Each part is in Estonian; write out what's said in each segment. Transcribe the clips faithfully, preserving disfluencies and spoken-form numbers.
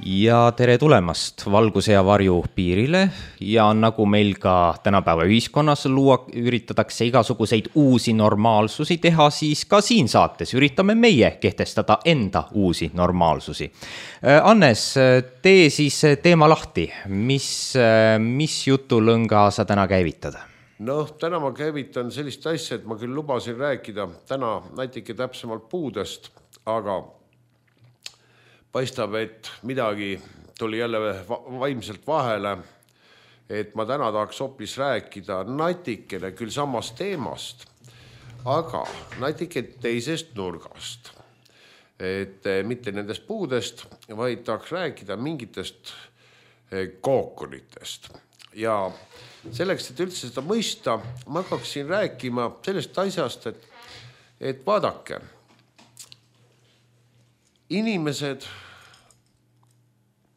Ja tere tulemast valguse ja varju piirile ja nagu meil ka tänapäeva ühiskonnas luua üritatakse igasuguseid uusi normaalsusi teha, siis ka siin saates üritame meie kehtestada enda uusi normaalsusi. Annes, tee siis teema lahti, mis, mis jutulõnga sa täna käivitad? No, täna ma käivitan sellist asja, et ma küll lubasin rääkida täna natuke täpsemalt puudest, aga paistab, et midagi tuli jälle vaimselt vahele, et ma täna tahaks hoopis rääkida natikene küll samast teemast, aga natuke teisest nurgast. Et mitte nendest puudest, vaid tahaks rääkida mingitest kookonitest. Ja selleks, et üldse seda mõista, ma hakkaksin rääkima sellest asjast, et, et vaadake, inimesed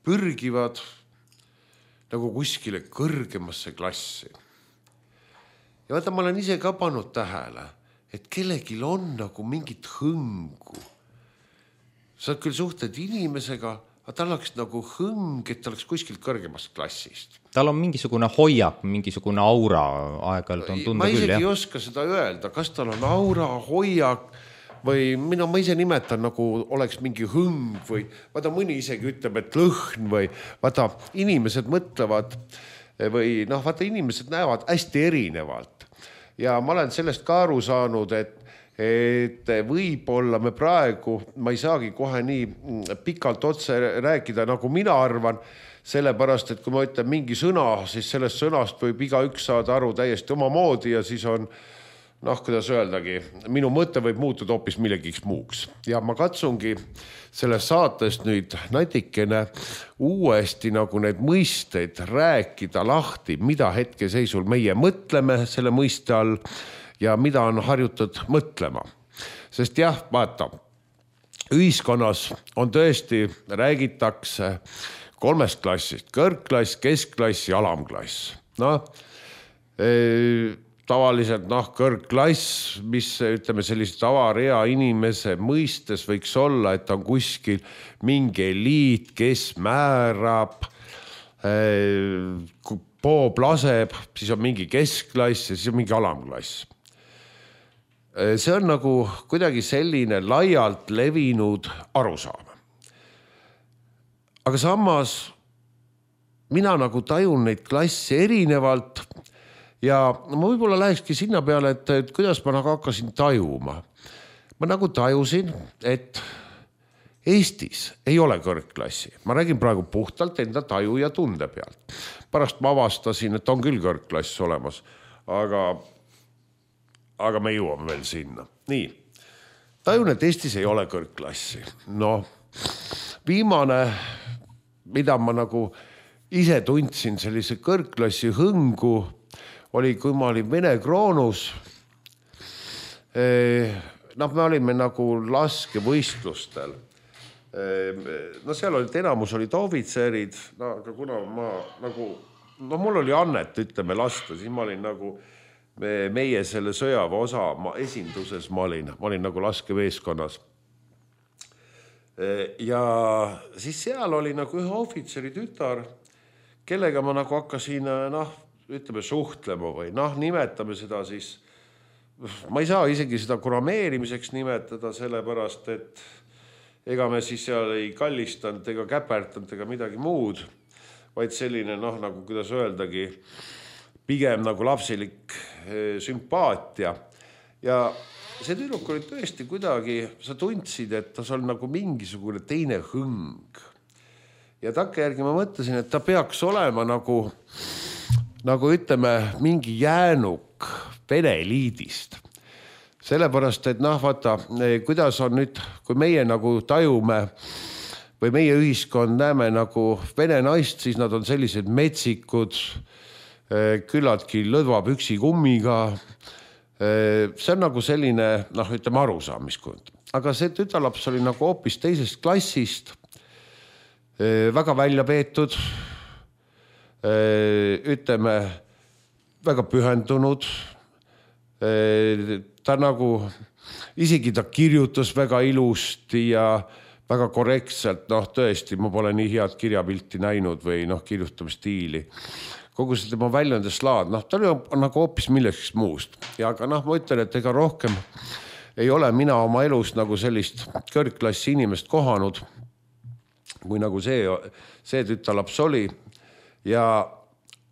pürgivad nagu kuskile kõrgemasse klassi. Ja vaata, ma olen ise ka pannud tähele, et kellegil on nagu mingit hõngu. Sa küll suhted inimesega, aga tal oleks nagu hõng, et ta oleks kuskilt kõrgemast klassist. Tal on mingisugune hoiak, mingisugune aura aeg-ajalt on tunda ma küll. Ma isegi jah? ei oska seda öelda, kas tal on aura, hoiak, või mina ma ise nimetan nagu oleks mingi hõng või vaata mõni isegi ütleb, et lõhn või vaata inimesed mõtlevad või noh, vaata inimesed näevad hästi erinevalt. Ja ma olen sellest ka aru saanud, et, et võib-olla me praegu, ma ei saagi kohe nii pikalt otse rääkida, nagu mina arvan, sellepärast, et kui ma ütlen mingi sõna, siis sellest sõnast võib iga üks saada aru täiesti oma moodi ja siis on noh, kuidas öeldagi, minu mõte võib muutuda hoopis millegiks muuks. Ja ma katsungi selles saatest nüüd natikene uuesti nagu need mõisteid rääkida lahti, mida hetkeseisul meie mõtleme selle mõiste all ja mida on harjutud mõtlema. Sest jah, vaata, ühiskonnas on tõesti, räägitakse kolmest klassist, kõrgklass, keskklass ja alamklass. No, e tavaliselt noh, kõrgklass, mis ütleme sellise tavarea inimese mõistes võiks olla, et on kuskil mingi eliit, kes määrab, kui poob laseb, siis on mingi keskklass ja siis on mingi alamklass. See on nagu kuidagi selline laialt levinud arusaam. Aga samas mina nagu tajun neid klasse erinevalt. Ja ma võib-olla lähekski sinna peale, et, et kuidas ma nagu hakkasin tajuma. Ma nagu tajusin, et Eestis ei ole kõrgklassi. Ma räägin praegu puhtalt enda taju ja tunde pealt. Pärast ma avastasin, et on küll kõrgklass olemas, aga, aga me jõuame veel sinna. Nii, tajun, et Eestis ei ole kõrgklassi. No, viimane, mida ma nagu ise tundsin sellise kõrgklassi hõngu, oli, kui ma olin Vene kroonus. Noh, me olime nagu laskevõistlustel. No seal olid, enamus olid ohvitserid, no, aga kuna ma nagu, no mul oli annet, ütleme, lasta, siis ma olin nagu meie selle sõjaväe osa ma esinduses, ma olin, ma olin nagu laskeveeskonnas. Ja siis seal oli nagu ühe ohvitseri tütar, kellega ma nagu hakkasin, noh, ütleme suhtlema või noh, nimetame seda siis, ma ei saa isegi seda kurameerimiseks nimetada, sellepärast, et ega me siis seal ei kallistanud ega käpärtanud ega midagi muud, vaid selline, noh, nagu kuidas öeldagi, pigem nagu lapsilik sümpaatia. Ja see tüdruk oli tõesti kuidagi, sa tundsid, et ta on nagu mingisugune teine hõng. Ja takke järgi ma mõtlesin, et ta peaks olema nagu nagu ütleme, mingi jäänuk Vene eliidist. Sellepärast, et noh, vaata, kuidas on nüüd, kui meie nagu tajume või meie ühiskond näeme nagu Vene naist, siis nad on sellised metsikud, küllaltki lõdva püksikummiga. See on nagu selline, noh, ütleme arusaamiskund. Aga see tütarlaps oli nagu hoopis teisest klassist, väga välja peetud, ütleme, väga pühendunud. Ta nagu, isegi ta kirjutas väga ilusti ja väga korrektselt, noh tõesti, ma pole nii head kirjapilti näinud või noh, kirjutamistiili. Kogu see tema väljundeslaad, noh ta oli nagu hoopis milleks muust. Ja aga noh, ma ütlen, et ega rohkem ei ole mina oma elus nagu sellist kõrgklassi inimest kohanud, kui nagu see, see tütalaps oli. Ja,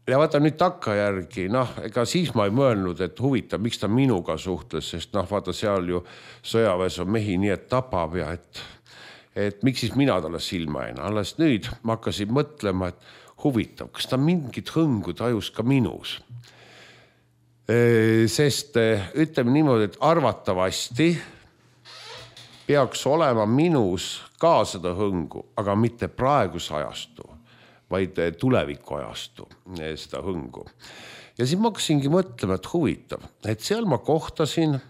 ja vaata nüüd takka järgi, noh, ega siis ma ei mõelnud, et huvitav, miks ta minuga suhtles, sest noh, vaata seal ju sõjaväes on mehi nii, et tapab ja et et miks siis mina talle silma jäin. Alles nüüd ma hakkasin mõtlema, et huvitav, kas ta mingit hõngu tajus ka minus. Sest ütleme niimoodi, et arvatavasti peaks olema minus ka seda hõngu, aga mitte praeguse ajastu, vaid tuleviku ajastu seda hõngu. Ja siis ma hakkasingi mõtlema, et huvitav, et seal ma kohtasin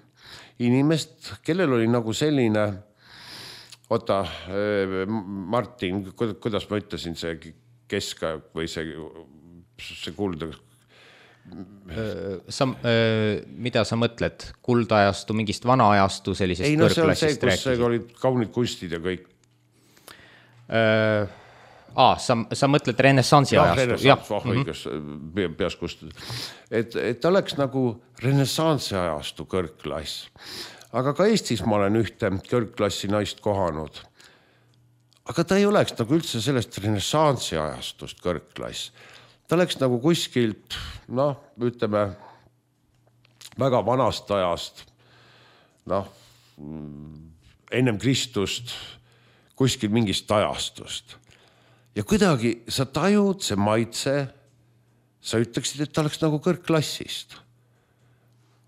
inimest, kellel oli nagu selline Oota, Martin, kuidas ma ütlesin see keskaeg või see, see kulda? Sa, mida sa mõtled? Kuldajastu, mingist vana ajastu sellisest ei, no, kõrgklassist rääkisid? Ei, no see on see, kus olid kaunid kunstid ja kõik. Aa, sa, sa mõtled renessansi ja, ajastu? Renessans, oh, õigus, mm-hmm. peas kustud. Et, et oleks nagu renessansi ajastu kõrgklass. Aga ka Eestis ma olen ühte kõrgklassi naist kohanud. Aga ta ei oleks nagu üldse sellest renessansi ajastust kõrgklass. Ta oleks nagu kuskilt, noh, ütleme, väga vanast ajast, noh, ennem Kristust, kuskil mingist ajastust. Ja kuidagi sa tajud see maitse, sa ütleksid, et ta oleks nagu kõrgklassist.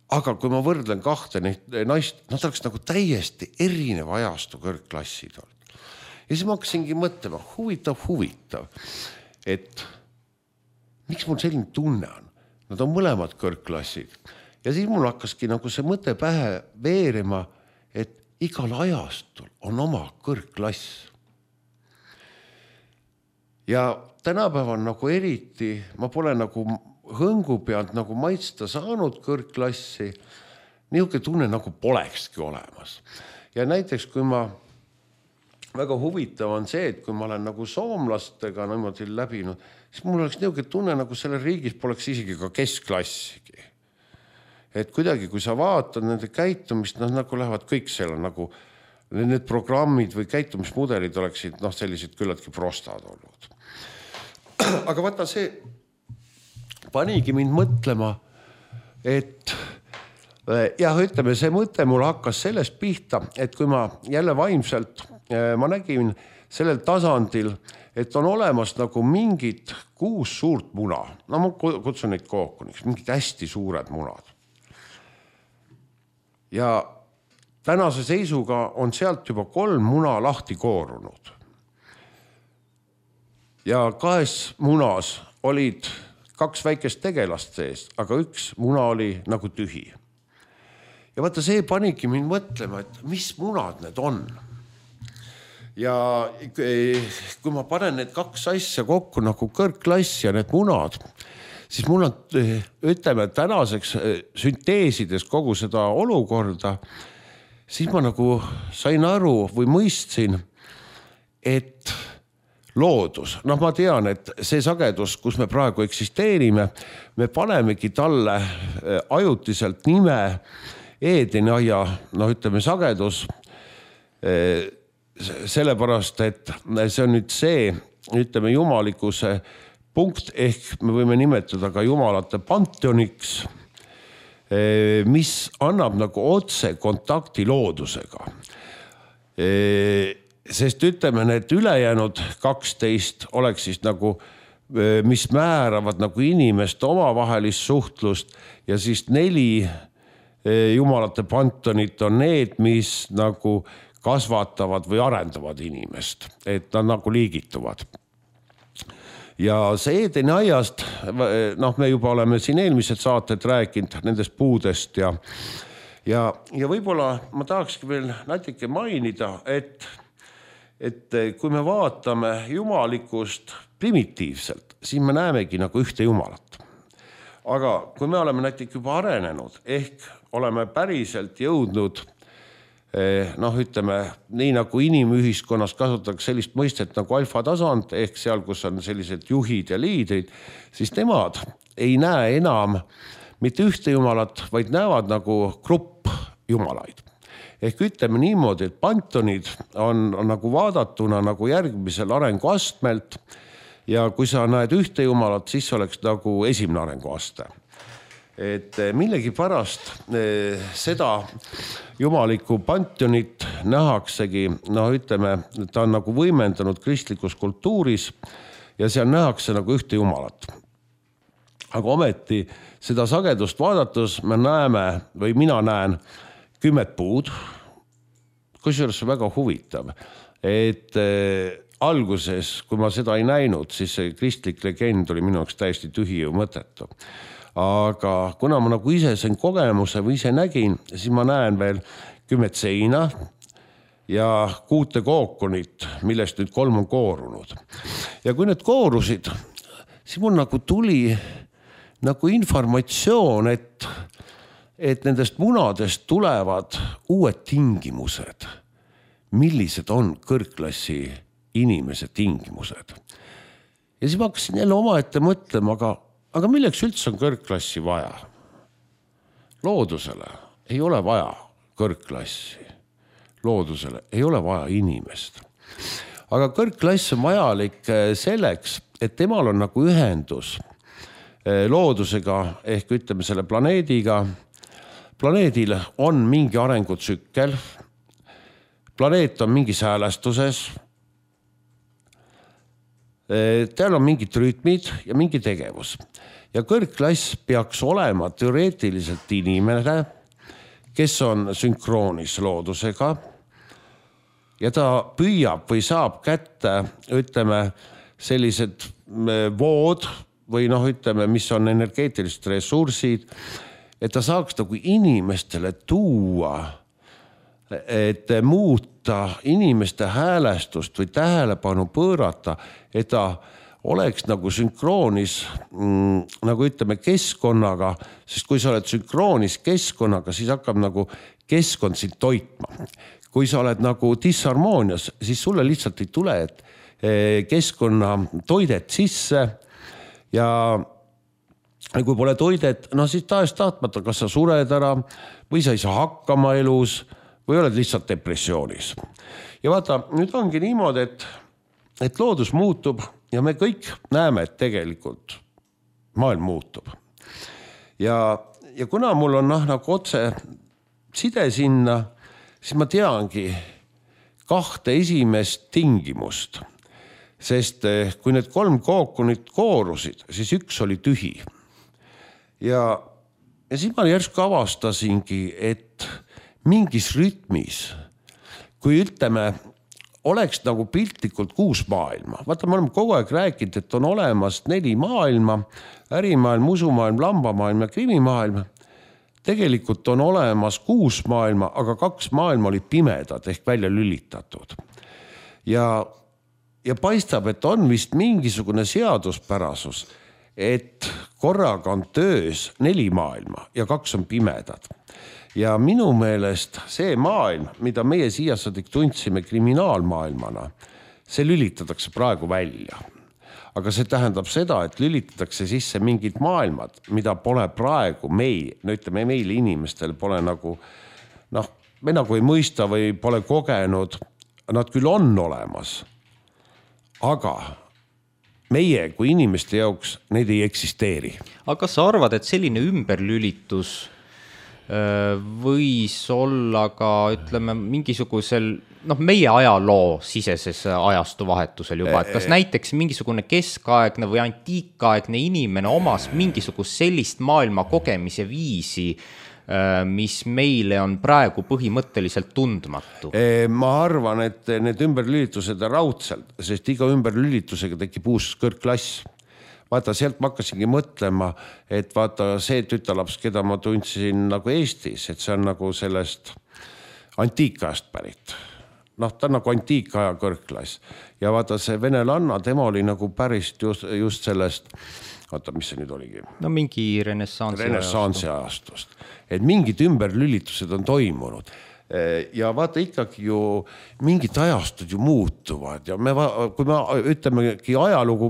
Aga kui ma võrdlen kahte naist, nad oleks nagu täiesti erineva ajastu kõrgklassid olnud. Ja siis ma hakkasingi mõtlema, huvitav, huvitav, et miks mul selline tunne on? Nad on mõlemad kõrgklassid. Ja siis mul hakkaski nagu see mõte pähe veerima, et igal ajastul on oma kõrgklass. Ja tänapäeval nagu eriti, ma pole nagu hõngu pealt nagu maitsta saanud kõrgklassi, niisugune tunne nagu polekski olemas. Ja näiteks, kui ma, väga huvitav on see, et kui ma olen nagu soomlastega niimoodi läbinud, siis mul oleks niisugune tunne, nagu selle riigis poleks isegi ka keskklassigi. Et kuidagi, kui sa vaatad nende käitumist, noh, nagu lähevad kõik selle nagu, need programmid või käitumismudelid oleksid, noh, sellised küllaltki prostad olnud. Aga vaata see panigi mind mõtlema, et jah, ütleme, see mõte mul hakkas sellest pihta, et kui ma jälle vaimselt, ma nägin sellel tasandil, et on olemas nagu mingid kuus suurt muna. No ma kutsun neid kookuniks, mingid hästi suured munad. Ja tänase seisuga on sealt juba kolm muna lahti koorunud. Ja kahes munas olid kaks väikest tegelast sees, aga üks muna oli nagu tühi. Ja vaata, see panigi mind mõtlema, et mis munad need on. Ja kui ma panen need kaks asja kokku nagu kõrgklass ja need munad, siis mul on, ütleme, tänaseks sünteesides kogu seda olukorda, siis ma nagu sain aru või mõistsin, et loodus, noh ma tean, et see sagedus, kus me praegu eksisteerime, me panemegi talle ajutiselt nime Eedeni aia, noh ütleme sagedus, sellepärast, et see on nüüd see, ütleme jumalikkuse punkt, ehk me võime nimetada ka jumalate panteoniks, mis annab nagu otse kontakti loodusega. Sest ütleme, need ülejäänud kaksteist oleks siis nagu, mis määravad nagu inimest omavahelist suhtlust ja siis neli jumalate pantonit on need, mis nagu kasvatavad või arendavad inimest, et nad nagu liigituvad. Ja see Eedeni aiast, noh me juba oleme siin eelmised saated rääkinud nendest puudest ja, ja, ja võib-olla ma tahakski veel natuke mainida, et et kui me vaatame jumalikust primitiivselt, siis me näemegi nagu ühte jumalat. Aga kui me oleme näiteks juba arenenud, ehk oleme päriselt jõudnud noh, ütleme, nii nagu inimühiskonnas kasutatakse sellist mõistet nagu alfa tasand, ehk seal, kus on sellised juhid ja liidrid, siis nemad ei näe enam mitte ühte jumalat, vaid näevad nagu grupp jumalaid. Ehk ütleme niimoodi, et pantonid on, on nagu vaadatuna nagu järgmisel arenguastmelt ja kui sa näed ühte jumalat, siis oleks nagu esimene arenguaste. Et millegi pärast seda jumalikku pantonit nähaksegi, no ütleme, ta on nagu võimendanud kristlikus kultuuris ja seal nähakse nagu ühte jumalat. Aga ometi seda sagedust vaadates me näeme või mina näen kümmet puud, kusjuures väga huvitav, et alguses, kui ma seda ei näinud, siis see kristlik legend oli minu jaoks täiesti tühi ja mõttetu. Aga kuna ma nagu ise sain kogemuse või ise nägin, siis ma näen veel kümmet seina ja kuute kookonit, millest nüüd kolm on koorunud. Ja kui need koorusid, siis mul nagu tuli nagu informatsioon, et, et nendest munadest tulevad uued tingimused. Millised on kõrgklassi inimese tingimused? Ja siis ma hakkasin jälle omaette mõtlema, aga Aga milleks üldse on kõrgklassi vaja? Loodusele ei ole vaja kõrgklassi. Loodusele ei ole vaja inimest. Aga kõrgklass on vajalik selleks, et temal on nagu ühendus loodusega ehk ütleme selle planeediga. Planeedil on mingi arengutsükkel. Planeet on mingis häälestuses. Teil on mingid rütmid ja mingi tegevus. Ja kõrgklass peaks olema teoreetiliselt inimene, kes on sünkroonis loodusega ja ta püüab või saab kätte, ütleme, sellised vood või noh, ütleme, mis on energeetilised ressursid, et ta saaks nagu inimestele tuua, et muuta inimeste häälestust või tähelepanu pöörata, et ta oleks nagu sünkroonis, mm, nagu ütleme keskkonnaga, sest kui sa oled sünkroonis keskkonnaga, siis hakkab nagu keskkond sind toitma. Kui sa oled nagu disharmoonias, siis sulle lihtsalt ei tule keskkonna toidet sisse ja kui pole toidet, no siis tahes tahtmata, kas sa sured ära või sa ei saa hakkama elus või oled lihtsalt depressioonis. Ja vaata, nüüd ongi niimoodi, et, et loodus muutub ja me kõik näeme, et tegelikult maailm muutub. Ja, ja kuna mul on noh, nagu otse side sinna, siis ma teangi kahte esimest tingimust. Sest kui need kolm kookonit koorusid, siis üks oli tühi. Ja, ja siis ma järsku avastasingi, et mingis rütmis, kui ütleme, oleks nagu piltlikult kuus maailma. Vaata, me oleme kogu aeg rääkinud, et on olemas neli maailma, ärimaailm, usumaailm, lambamaailm ja krimimaailm. Tegelikult on olemas kuus maailma, aga kaks maailma olid pimedad ehk välja lülitatud. Ja, ja paistab, et on vist mingisugune seaduspärasus, et korraga on töös neli maailma ja kaks on pimedad. Ja minu meelest see maailm, mida meie siiasadik tundsime kriminaalmaailmana, see lülitatakse praegu välja. Aga see tähendab seda, et lülitatakse sisse mingid maailmad, mida pole praegu meil, no ütleme meil inimestel pole nagu, noh, me nagu ei mõista või pole kogenud, nad küll on olemas, aga meie kui inimeste jaoks neid ei eksisteeri. Aga kas sa arvad, et selline ümberlülitus võis olla ka, ütleme, mingisugusel, noh, meie ajaloo siseses ajastu vahetusel juba, et kas näiteks mingisugune keskaegne või antiikaegne inimene omas mingisugust sellist maailma kogemise viisi, mis meile on praegu põhimõtteliselt tundmatu? Ma arvan, et need ümberlülitused on raudselt, sest iga ümberlülitusega tekib uus kõrgklass. Vaata, sealt ma hakkasingi mõtlema, et vaata see tütalaps, keda ma tundsin nagu Eestis, et see on nagu sellest antiikajast pärit. Noh, ta on nagu antiikaja kõrgklass. Ja vaata see venelanna, tema oli nagu päris just, just sellest, vaata, mis see nüüd oligi? No mingi renessansi renessansi ajastust. Et mingid ümberlülitused on toimunud. ja vaata ikkagi ju mingid ajastud ju muutuvad ja me, kui me ütlemegi ajalugu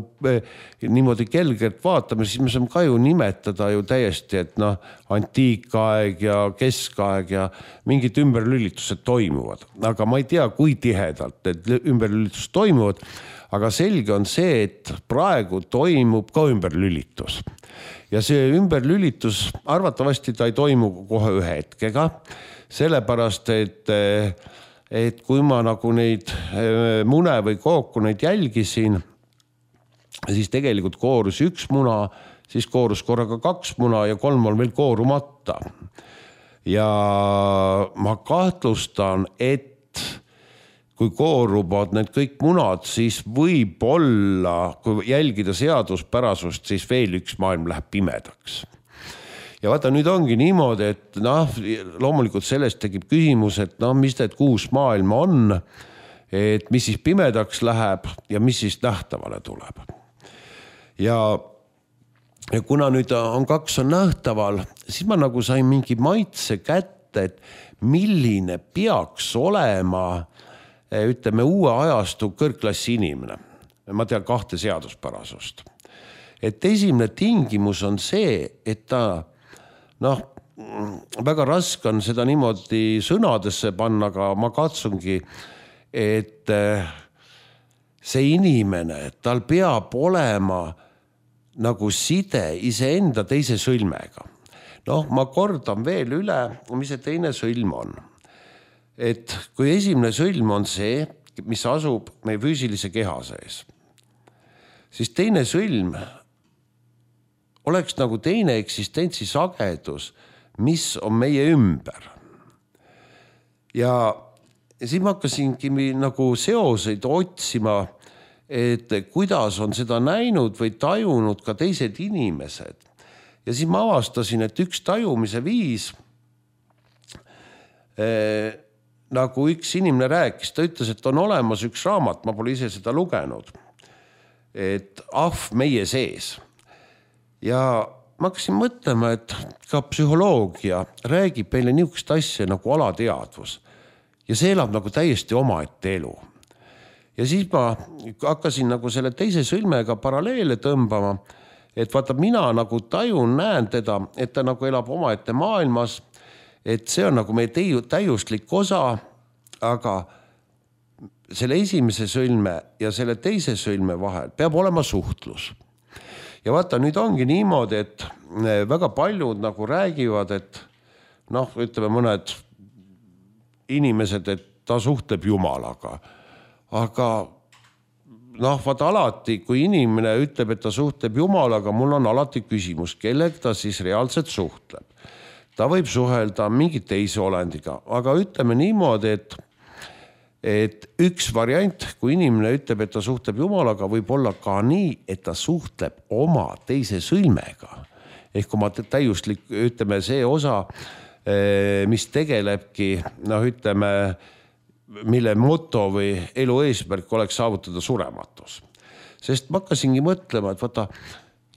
niimoodi kelgelt vaatame, siis me saame ka ju nimetada ju täiesti, et noh, antiikaeg ja keskaeg ja mingid ümberlülitused toimuvad. Aga ma ei tea, kui tihedalt need ümberlülitused toimuvad, aga selge on see, et praegu toimub ka ümberlülitus. Ja see ümberlülitus arvatavasti ta ei toimu kohe ühe hetkega, sellepärast, et, et kui ma nagu neid mune või kooku neid jälgisin, siis tegelikult koorus üks muna, siis koorus korraga kaks muna ja kolm on veel koorumata. Ja ma kahtlustan, et kui kooruvad need kõik munad, siis võib olla, kui jälgida seaduspärasust, siis veel üks maailm läheb pimedaks. Ja vaata, nüüd ongi niimoodi, et noh, loomulikult sellest tekib küsimus, et noh, mis need kuus maailma on, et mis siis pimedaks läheb ja mis siis nähtavale tuleb. Ja, ja kuna nüüd on kaks on nähtaval, siis ma nagu sain mingi maitse kätte, et milline peaks olema, ütleme, uue ajastu kõrgklassi inimene. Ma tean kahte seaduspärasust. Et esimene tingimus on see, et ta noh, väga raske on seda niimoodi sõnadesse panna, aga ma katsungi, et see inimene, tal peab olema nagu side iseenda teise sõlmega. Noh, ma kordan veel üle, mis see teine sõlm on. Et kui esimene sõlm on see, mis asub meie füüsilise keha sees, siis teine sõlm oleks nagu teine eksistentsi sagedus, mis on meie ümber. Ja siis ma hakkasingi nagu seoseid otsima, et kuidas on seda näinud või tajunud ka teised inimesed. Ja siis ma avastasin, et üks tajumise viis, eh, nagu üks inimene rääkis, ta ütles, et on olemas üks raamat, ma pole ise seda lugenud, et ahv meie sees. Ja ma hakkasin mõtlema, et ka psühholoogia räägib meile niisugust asja nagu alateadvus. Ja see elab nagu täiesti omaette elu. Ja siis ma hakkasin nagu selle teise sõlmega paralleele tõmbama, et vaata, mina nagu tajun, näen teda, et ta nagu elab omaette maailmas, et see on nagu meie täiuslik osa, aga selle esimese sõlme ja selle teise sõlme vahel peab olema suhtlus. Ja vaata, nüüd ongi niimoodi, et väga paljud nagu räägivad, et noh, ütleme mõned inimesed, et ta suhtleb Jumalaga. Aga noh, vaata alati, kui inimene ütleb, et ta suhtleb Jumalaga, mul on alati küsimus, kellega ta siis reaalselt suhtleb. Ta võib suhelda mingi teise olendiga, aga ütleme niimoodi, et et üks variant, kui inimene ütleb, et ta suhtleb Jumalaga, võib olla ka nii, et ta suhtleb oma teise sõlmega. Ehk oma täiuslik, ütleme, see osa, mis tegelebki, noh, ütleme, mille moto või elu eesmärk oleks saavutada surematus. Sest ma hakkasingi mõtlema, et vaata,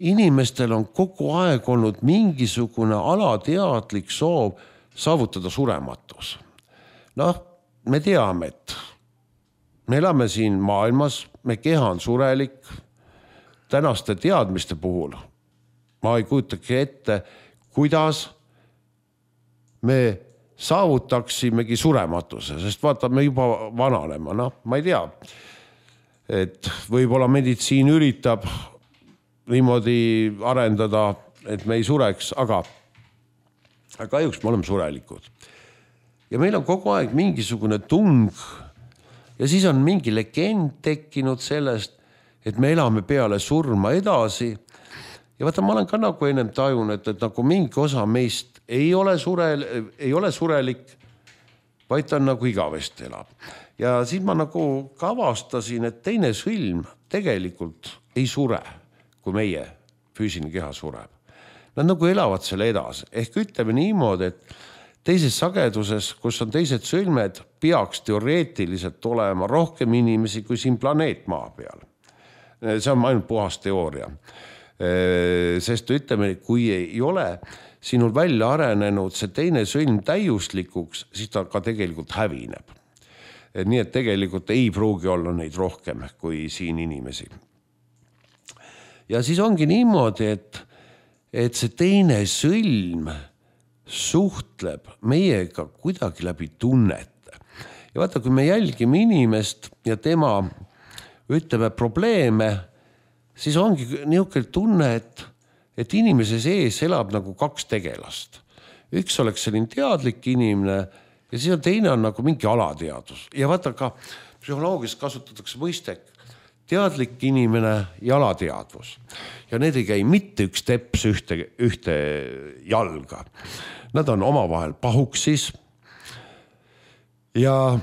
inimestel on kogu aeg olnud mingisugune alateadlik soov saavutada surematus. Noh, me teame, et me elame siin maailmas, me keha on surelik, tänaste teadmiste puhul. Ma ei kujutagi ette, kuidas me saavutaksimegi surematuse, sest vaata, me juba vananema, noh, ma ei tea, et võib-olla meditsiin üritab niimoodi arendada, et me ei sureks, aga kahjuks me oleme surelikud. Ja meil on kogu aeg mingisugune tung ja siis on mingi legend tekkinud sellest, et me elame peale surma edasi. Ja vaata, ma olen ka nagu ennem tajun, et, et nagu mingi osa meist ei ole, surel, ei ole surelik, vaid ta on nagu igavesti elab. Ja siis ma nagu kavastasin, et teine sõlm tegelikult ei sure, kui meie füüsiline keha sureb. Nad nagu elavad selle edasi. Ehk ütleme niimoodi, et teises sageduses, kus on teised sõlmed, peaks teoreetiliselt olema rohkem inimesi kui siin planeet maa peal. See on ainult puhas teooria. Sest ütleme, kui ei ole, sinul välja arenenud see teine sõlm täiuslikuks, siis ta ka tegelikult hävineb. Nii et tegelikult ei pruugi olla neid rohkem kui siin inimesi. Ja siis ongi niimoodi, et, et see teine sõlm suhtleb meiega kuidagi läbi tunnete. Ja vaata, kui me jälgime inimest ja tema, ütleme, probleeme, siis ongi niisugune tunne, et, et inimese sees elab nagu kaks tegelast. Üks oleks selline teadlik inimene ja siis on teine on nagu mingi alateadus. Ja vaata ka psühholoogias kasutatakse mõistek teadlik inimene ja alateadvus. Ja need ei käi mitte üks teps ühte, ühte jalga. Nad on omavahel pahuksis ja,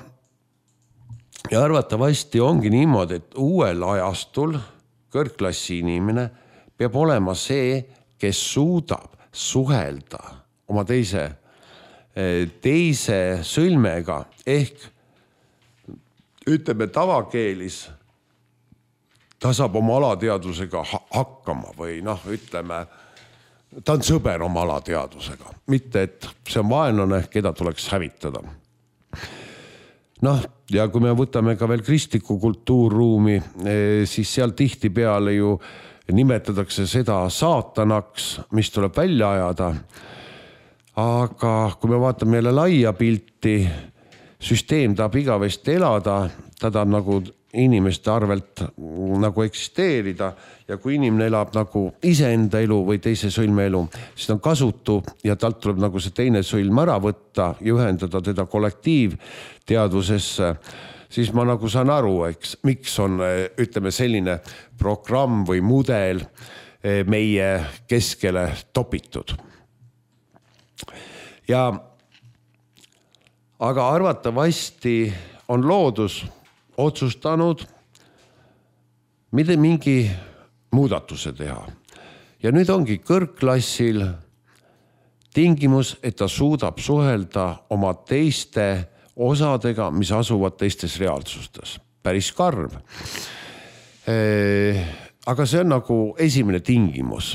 ja arvatavasti ongi niimoodi, et uuel ajastul kõrgklassi inimene peab olema see, kes suudab suhelda oma teise, teise sõlmega ehk ütleme tavakeelis ta saab oma alateadusega hakkama või noh, ütleme, ta on sõber oma alateadusega, mitte et see on vaenlane, keda tuleks hävitada. Noh, ja kui me võtame ka veel kristliku kultuurruumi, siis seal tihti peale ju nimetatakse seda saatanaks, mis tuleb välja ajada. Aga kui me vaatame jälle laia pilti, süsteem tahab igavesti elada, ta tahab nagu inimeste arvelt nagu eksisteerida ja kui inimene elab nagu iseenda elu või teise sõlme elu, siis on kasutu ja talt tuleb nagu see teine sõlm ära võtta ja ühendada teda kollektiivteadvusesse, siis ma nagu saan aru, eks, miks on, ütleme, selline programm või mudel meie keskele topitud. Ja aga arvatavasti on loodus otsustanud mitte mingi muudatuse teha. Ja nüüd ongi kõrgklassil tingimus, et ta suudab suhelda oma teiste osadega, mis asuvad teistes reaalsustes. Päris karm. Aga see on nagu esimene tingimus.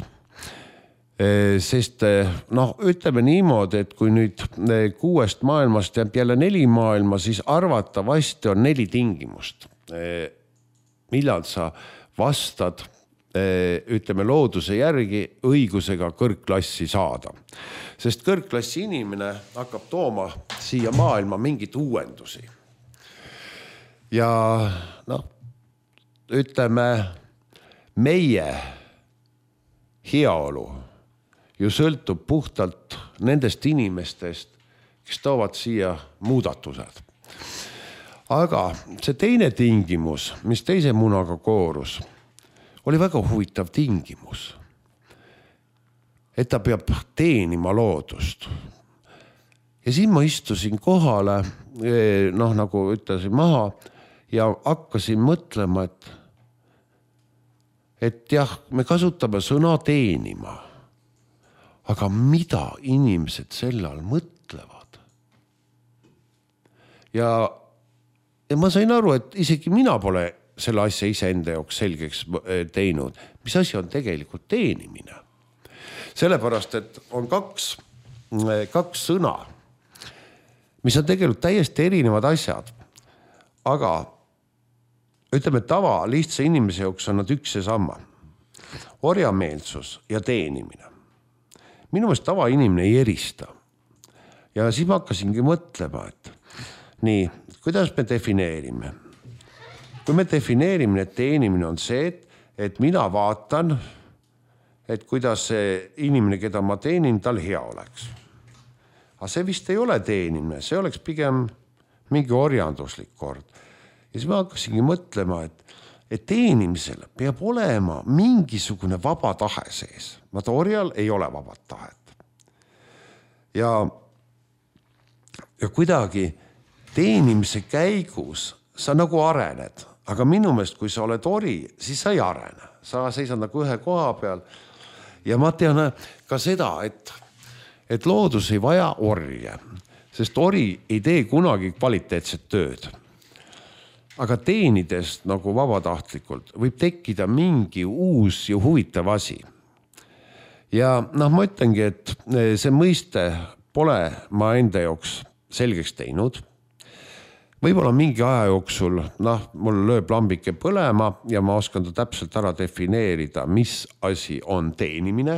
Sest noh, ütleme niimoodi, et kui nüüd kuuest maailmast jääb jälle neli maailma, siis arvatavasti on neli tingimust. Millal sa vastad, ütleme, looduse järgi õigusega kõrgklassi saada. Sest kõrgklassi inimene hakkab tooma siia maailma mingit uuendusi. Ja noh, ütleme, meie heaolu ju sõltub puhtalt nendest inimestest, kes toovad siia muudatused. Aga see teine tingimus, mis teise munaga koorus, oli väga huvitav tingimus. Et ta peab teenima loodust. Ja siin ma istusin kohale, noh nagu ütlesin maha ja hakkasin mõtlema, et, et jah, me kasutame sõna teenima. Aga mida inimesed selle all mõtlevad? Ja, ja ma sain aru, et isegi mina pole selle asja iseenda jaoks selgeks teinud, mis asi on tegelikult teenimine. Sellepärast, et on kaks, kaks sõna, mis on tegelikult täiesti erinevad asjad. Aga ütleme, tava lihtsa inimese jaoks on nad üks ja sama. Orjameelsus ja teenimine. Minu meelest tava inimene ei erista. Ja siis ma hakkasingi mõtlema, et nii, kuidas me defineerime? Kui me defineerime, et teenimine on see, et, et mina vaatan, et kuidas see inimene, keda ma teenin, tal hea oleks. Aga see vist ei ole teenimine, see oleks pigem mingi orjanduslik kord. Ja siis ma hakkasingi mõtlema, et et teenimisel peab olema mingisugune vaba tahe sees. Vaata, orjal ei ole vabat tahet. Ja, ja kuidagi teenimise käigus sa nagu arened. Aga minu meelest, kui sa oled ori, siis sa ei arene. Sa seisad nagu ühe koha peal. Ja ma tean ka seda, et, et loodus ei vaja orje, sest ori ei tee kunagi kvaliteetset tööd. Aga teenides nagu vabatahtlikult võib tekkida mingi uus ja huvitav asi. ja noh, ma ütlengi, et see mõiste pole ma enda jaoks selgeks teinud. Võib-olla mingi aja jooksul, noh, mul lööb lambike põlema ja ma oskan ta täpselt ära defineerida, mis asi on teenimine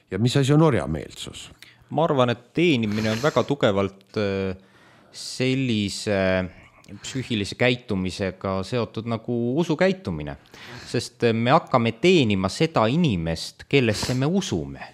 ja mis asi on orjameelsus. Ma arvan, et teenimine on väga tugevalt sellise psüühilise käitumisega seotud nagu usukäitumine, sest me hakkame teenima seda inimest, kellesse me usume.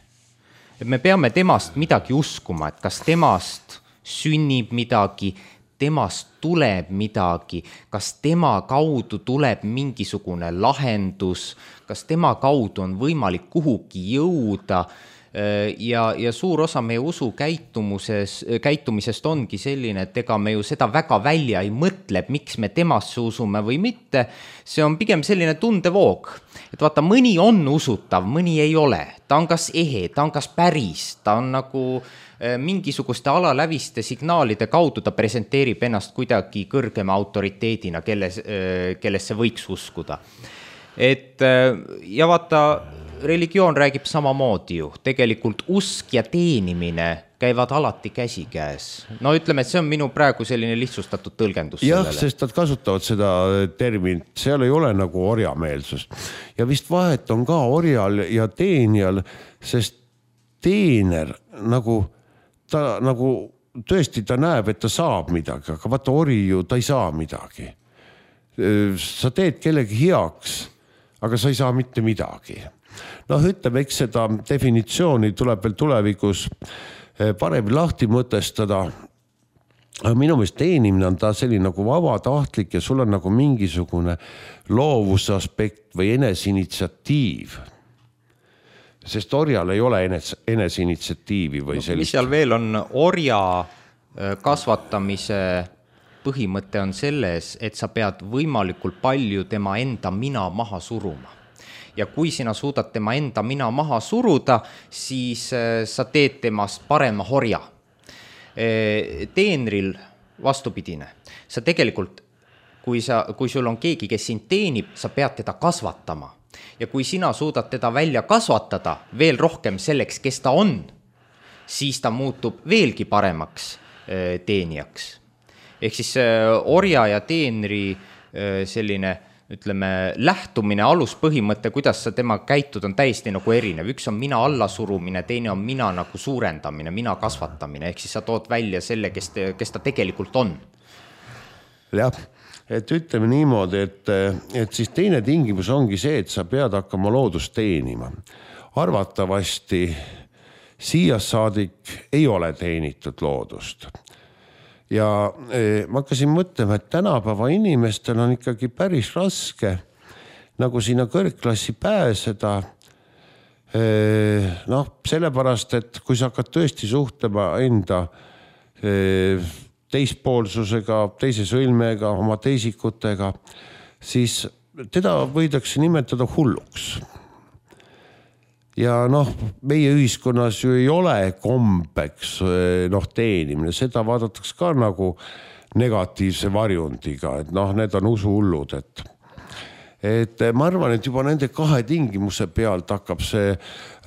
Me peame temast midagi uskuma, et kas temast sünnib midagi, temast tuleb midagi, kas tema kaudu tuleb mingisugune lahendus, kas tema kaudu on võimalik kuhugi jõuda ja, ja suur osa meie usu käitumises, käitumisest ongi selline, et ega me ju seda väga välja ei mõtle, miks me temasse usume või mitte. See on pigem selline tundevoog, et vaata, mõni on usutav, mõni ei ole. Ta on kas ehe, ta on kas päris, ta on nagu mingisuguste alaläviste signaalide kaudu ta presenteerib ennast kuidagi kõrgema autoriteedina, kelles, kellesse võiks uskuda. Et, ja vaata, religioon räägib samamoodi ju. Tegelikult usk ja teenimine käivad alati käsikäes. No ütleme, et see on minu praegu selline lihtsustatud tõlgendus. Jah, sellele. Sest nad kasutavad seda terminit, seal ei ole nagu orjameelsus. Ja vist vahet on ka orjal ja teenijal, sest teener nagu ta nagu tõesti ta näeb, et ta saab midagi, aga vaata ori ju, ta ei saa midagi. Sa teed kellegi heaks, aga sa ei saa mitte midagi. Noh, ütleme, eks seda definitsiooni tuleb veel tulevikus parem lahti mõtestada. Aga minu meelest teenimine on ta selline nagu vabatahtlik ja sul on nagu mingisugune loovusaspekt või enesinitsiatiiv. Sest orjal ei ole enes, enesinitsiatiivi või sellist. Mis seal veel on, orja kasvatamise põhimõte on selles, et sa pead võimalikult palju tema enda mina maha suruma. Ja kui sina suudad tema enda mina maha suruda, siis sa teed temast parema orja. Teenril vastupidine. Sa tegelikult, kui, sa, kui sul on keegi, kes sind teenib, sa pead teda kasvatama. Ja kui sina suudad teda välja kasvatada veel rohkem selleks, kes ta on, siis ta muutub veelgi paremaks teenijaks. Ehk siis orja ja teenri selline, ütleme, lähtumine, aluspõhimõte, kuidas sa tema käitud, on täiesti nagu erinev. Üks on mina allasurumine, teine on mina nagu suurendamine, mina kasvatamine. Ehk siis sa tood välja selle, kes, te, kes ta tegelikult on. Jah. Et ütleme niimoodi, et, et siis teine tingimus ongi see, et sa pead hakkama loodust teenima. Arvatavasti siias saadik ei ole teenitud loodust. Ja ma hakkasin mõtlema, et tänapäeva inimestel on ikkagi päris raske nagu sinna kõrgklassi pääseda. Noh, sellepärast, et kui sa hakkad tõesti suhtlema enda teispoolsusega, teise sõlmega, oma teisikutega, siis teda võidakse nimetada hulluks. Ja noh, meie ühiskonnas ju ei ole kombeks noh, teenimine, seda vaadatakse ka nagu negatiivse varjundiga, et noh, need on usuhullud, et et ma arvan, et juba nende kahe tingimuse pealt hakkab see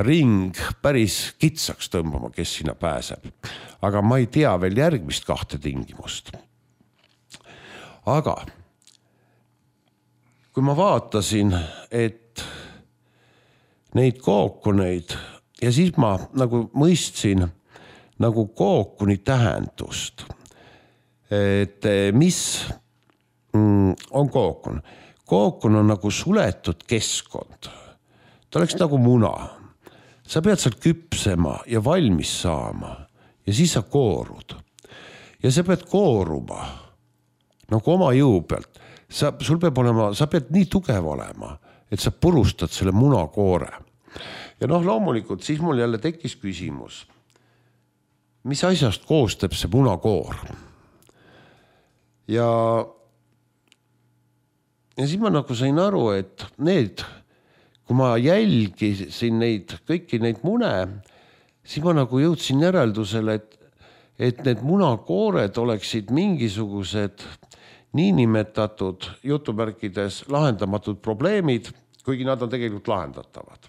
ring päris kitsaks tõmbama, kes sinna pääseb. Aga ma ei tea veel järgmist kahte tingimust. Aga kui ma vaatasin, et neid kookuneid ja siis ma nagu mõistsin nagu kookuni tähendust, et mis on kookun. Kookun on nagu suletud keskkond. Ta oleks nagu muna. Sa pead seal küpsema ja valmis saama ja siis sa koorud. Ja sa pead kooruma nagu oma jõu pealt. Sa, sul peab olema, sa pead nii tugev olema, et sa purustad selle munakoore. Ja noh, loomulikult siis mul jälle tekkis küsimus. Mis asjast koostab see munakoor? Ja Ja siis ma nagu sain aru, et need, kui ma jälgisin neid, kõiki neid mune, siis ma nagu jõudsin järeldusele, et, et need munakoored oleksid mingisugused niinimetatud jutumärkides lahendamatud probleemid, kuigi nad on tegelikult lahendatavad.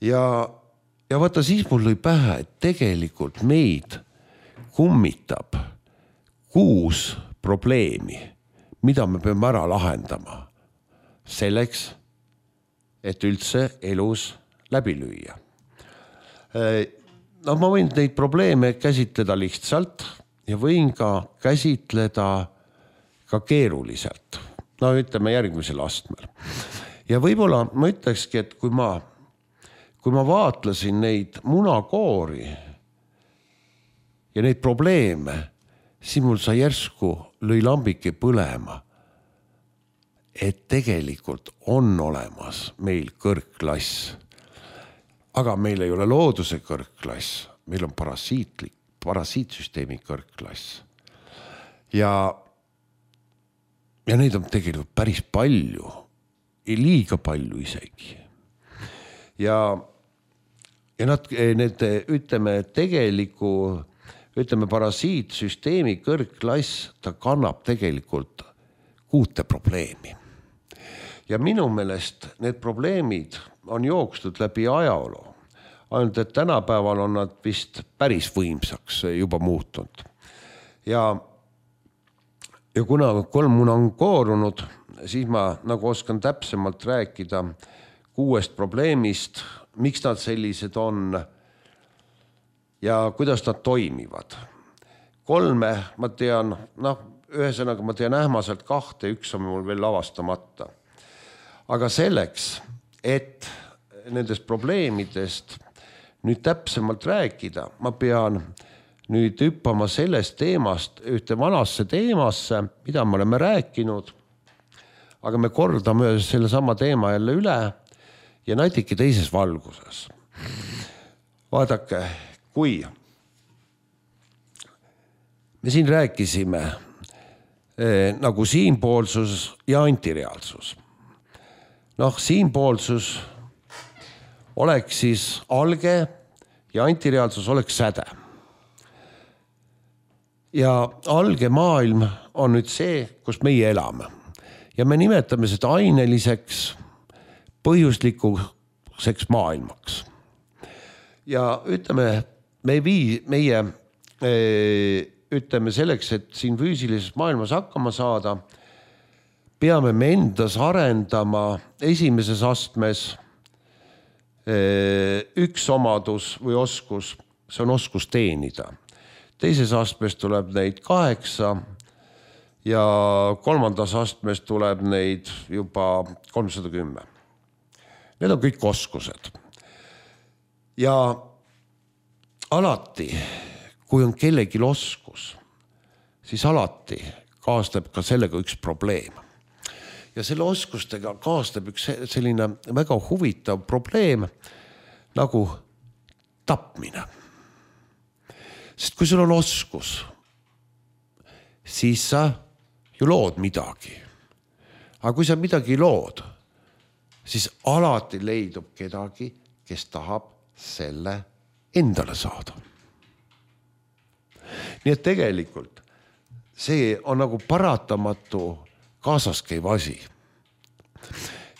ja, ja vaata, siis mul lõi pähe, et tegelikult meid kummitab kuus probleemi, mida me peame ära lahendama selleks, et üldse elus läbi lüüa. No ma võin neid probleeme käsitleda lihtsalt ja võin ka käsitleda ka keeruliselt. No ütleme järgmisel astmel. Ja võib-olla ma ütlekski, et kui ma, kui ma vaatlesin neid munakoori ja neid probleeme, siis mul sai järsku lõi lambike põlema, et tegelikult on olemas meil kõrgklass. Aga meil ei ole looduse kõrgklass, meil on parasiitlik, parasiitsüsteemi kõrgklass. Ja, ja neid on tegelikult päris palju, liiga palju isegi. Ja, ja nad, need, ütleme, tegeliku, ütleme, parasiitsüsteemi kõrgklass, ta kannab tegelikult kuute probleemi. Ja minu meelest need probleemid on jookstud läbi ajaloo. Ainult, et tänapäeval on nad vist päris võimsaks juba muutunud. Ja, ja kuna kolm muna on koorunud, siis ma nagu oskan täpsemalt rääkida kuuest probleemist, miks nad sellised on ja kuidas nad toimivad. Kolme ma tean, noh, ühesõnaga ma tean ähmaselt kahte, üks on mul veel avastamata. Aga selleks, et nendest probleemidest nüüd täpsemalt rääkida, ma pean nüüd hüppama sellest teemast ühte vanasse teemasse, mida me oleme rääkinud, aga me kordame selle sama teema jälle üle ja natuke teises valguses. Vaadake, kui me siin rääkisime eh, nagu siinpoolsus ja antireaalsus. Noh, siinpoolsus oleks siis alge ja antireaalsus oleks säde. Ja alge maailm on nüüd see, kus meie elame. Ja me nimetame seda aineliseks, põhjuslikuseks maailmaks. Ja ütleme, me vii, meie ütleme selleks, et siin füüsilises maailmas hakkama saada, peame me endas arendama esimeses astmes üks omadus või oskus, see on oskus teenida. Teises astmes tuleb neid kaheksa ja kolmandas astmes tuleb neid juba kolmsada kümme. Need on kõik oskused. Ja alati, kui on kellelgi oskus, siis alati kaasneb ka sellega üks probleem. Ja selle oskustega kaasneb üks selline väga huvitav probleem nagu tapmine. Sest kui sul on oskus, siis sa ju lood midagi. Aga kui sa midagi lood, siis alati leidub kedagi, kes tahab selle endale saada. Nii et tegelikult see on nagu paratamatu kaasas käiv asi.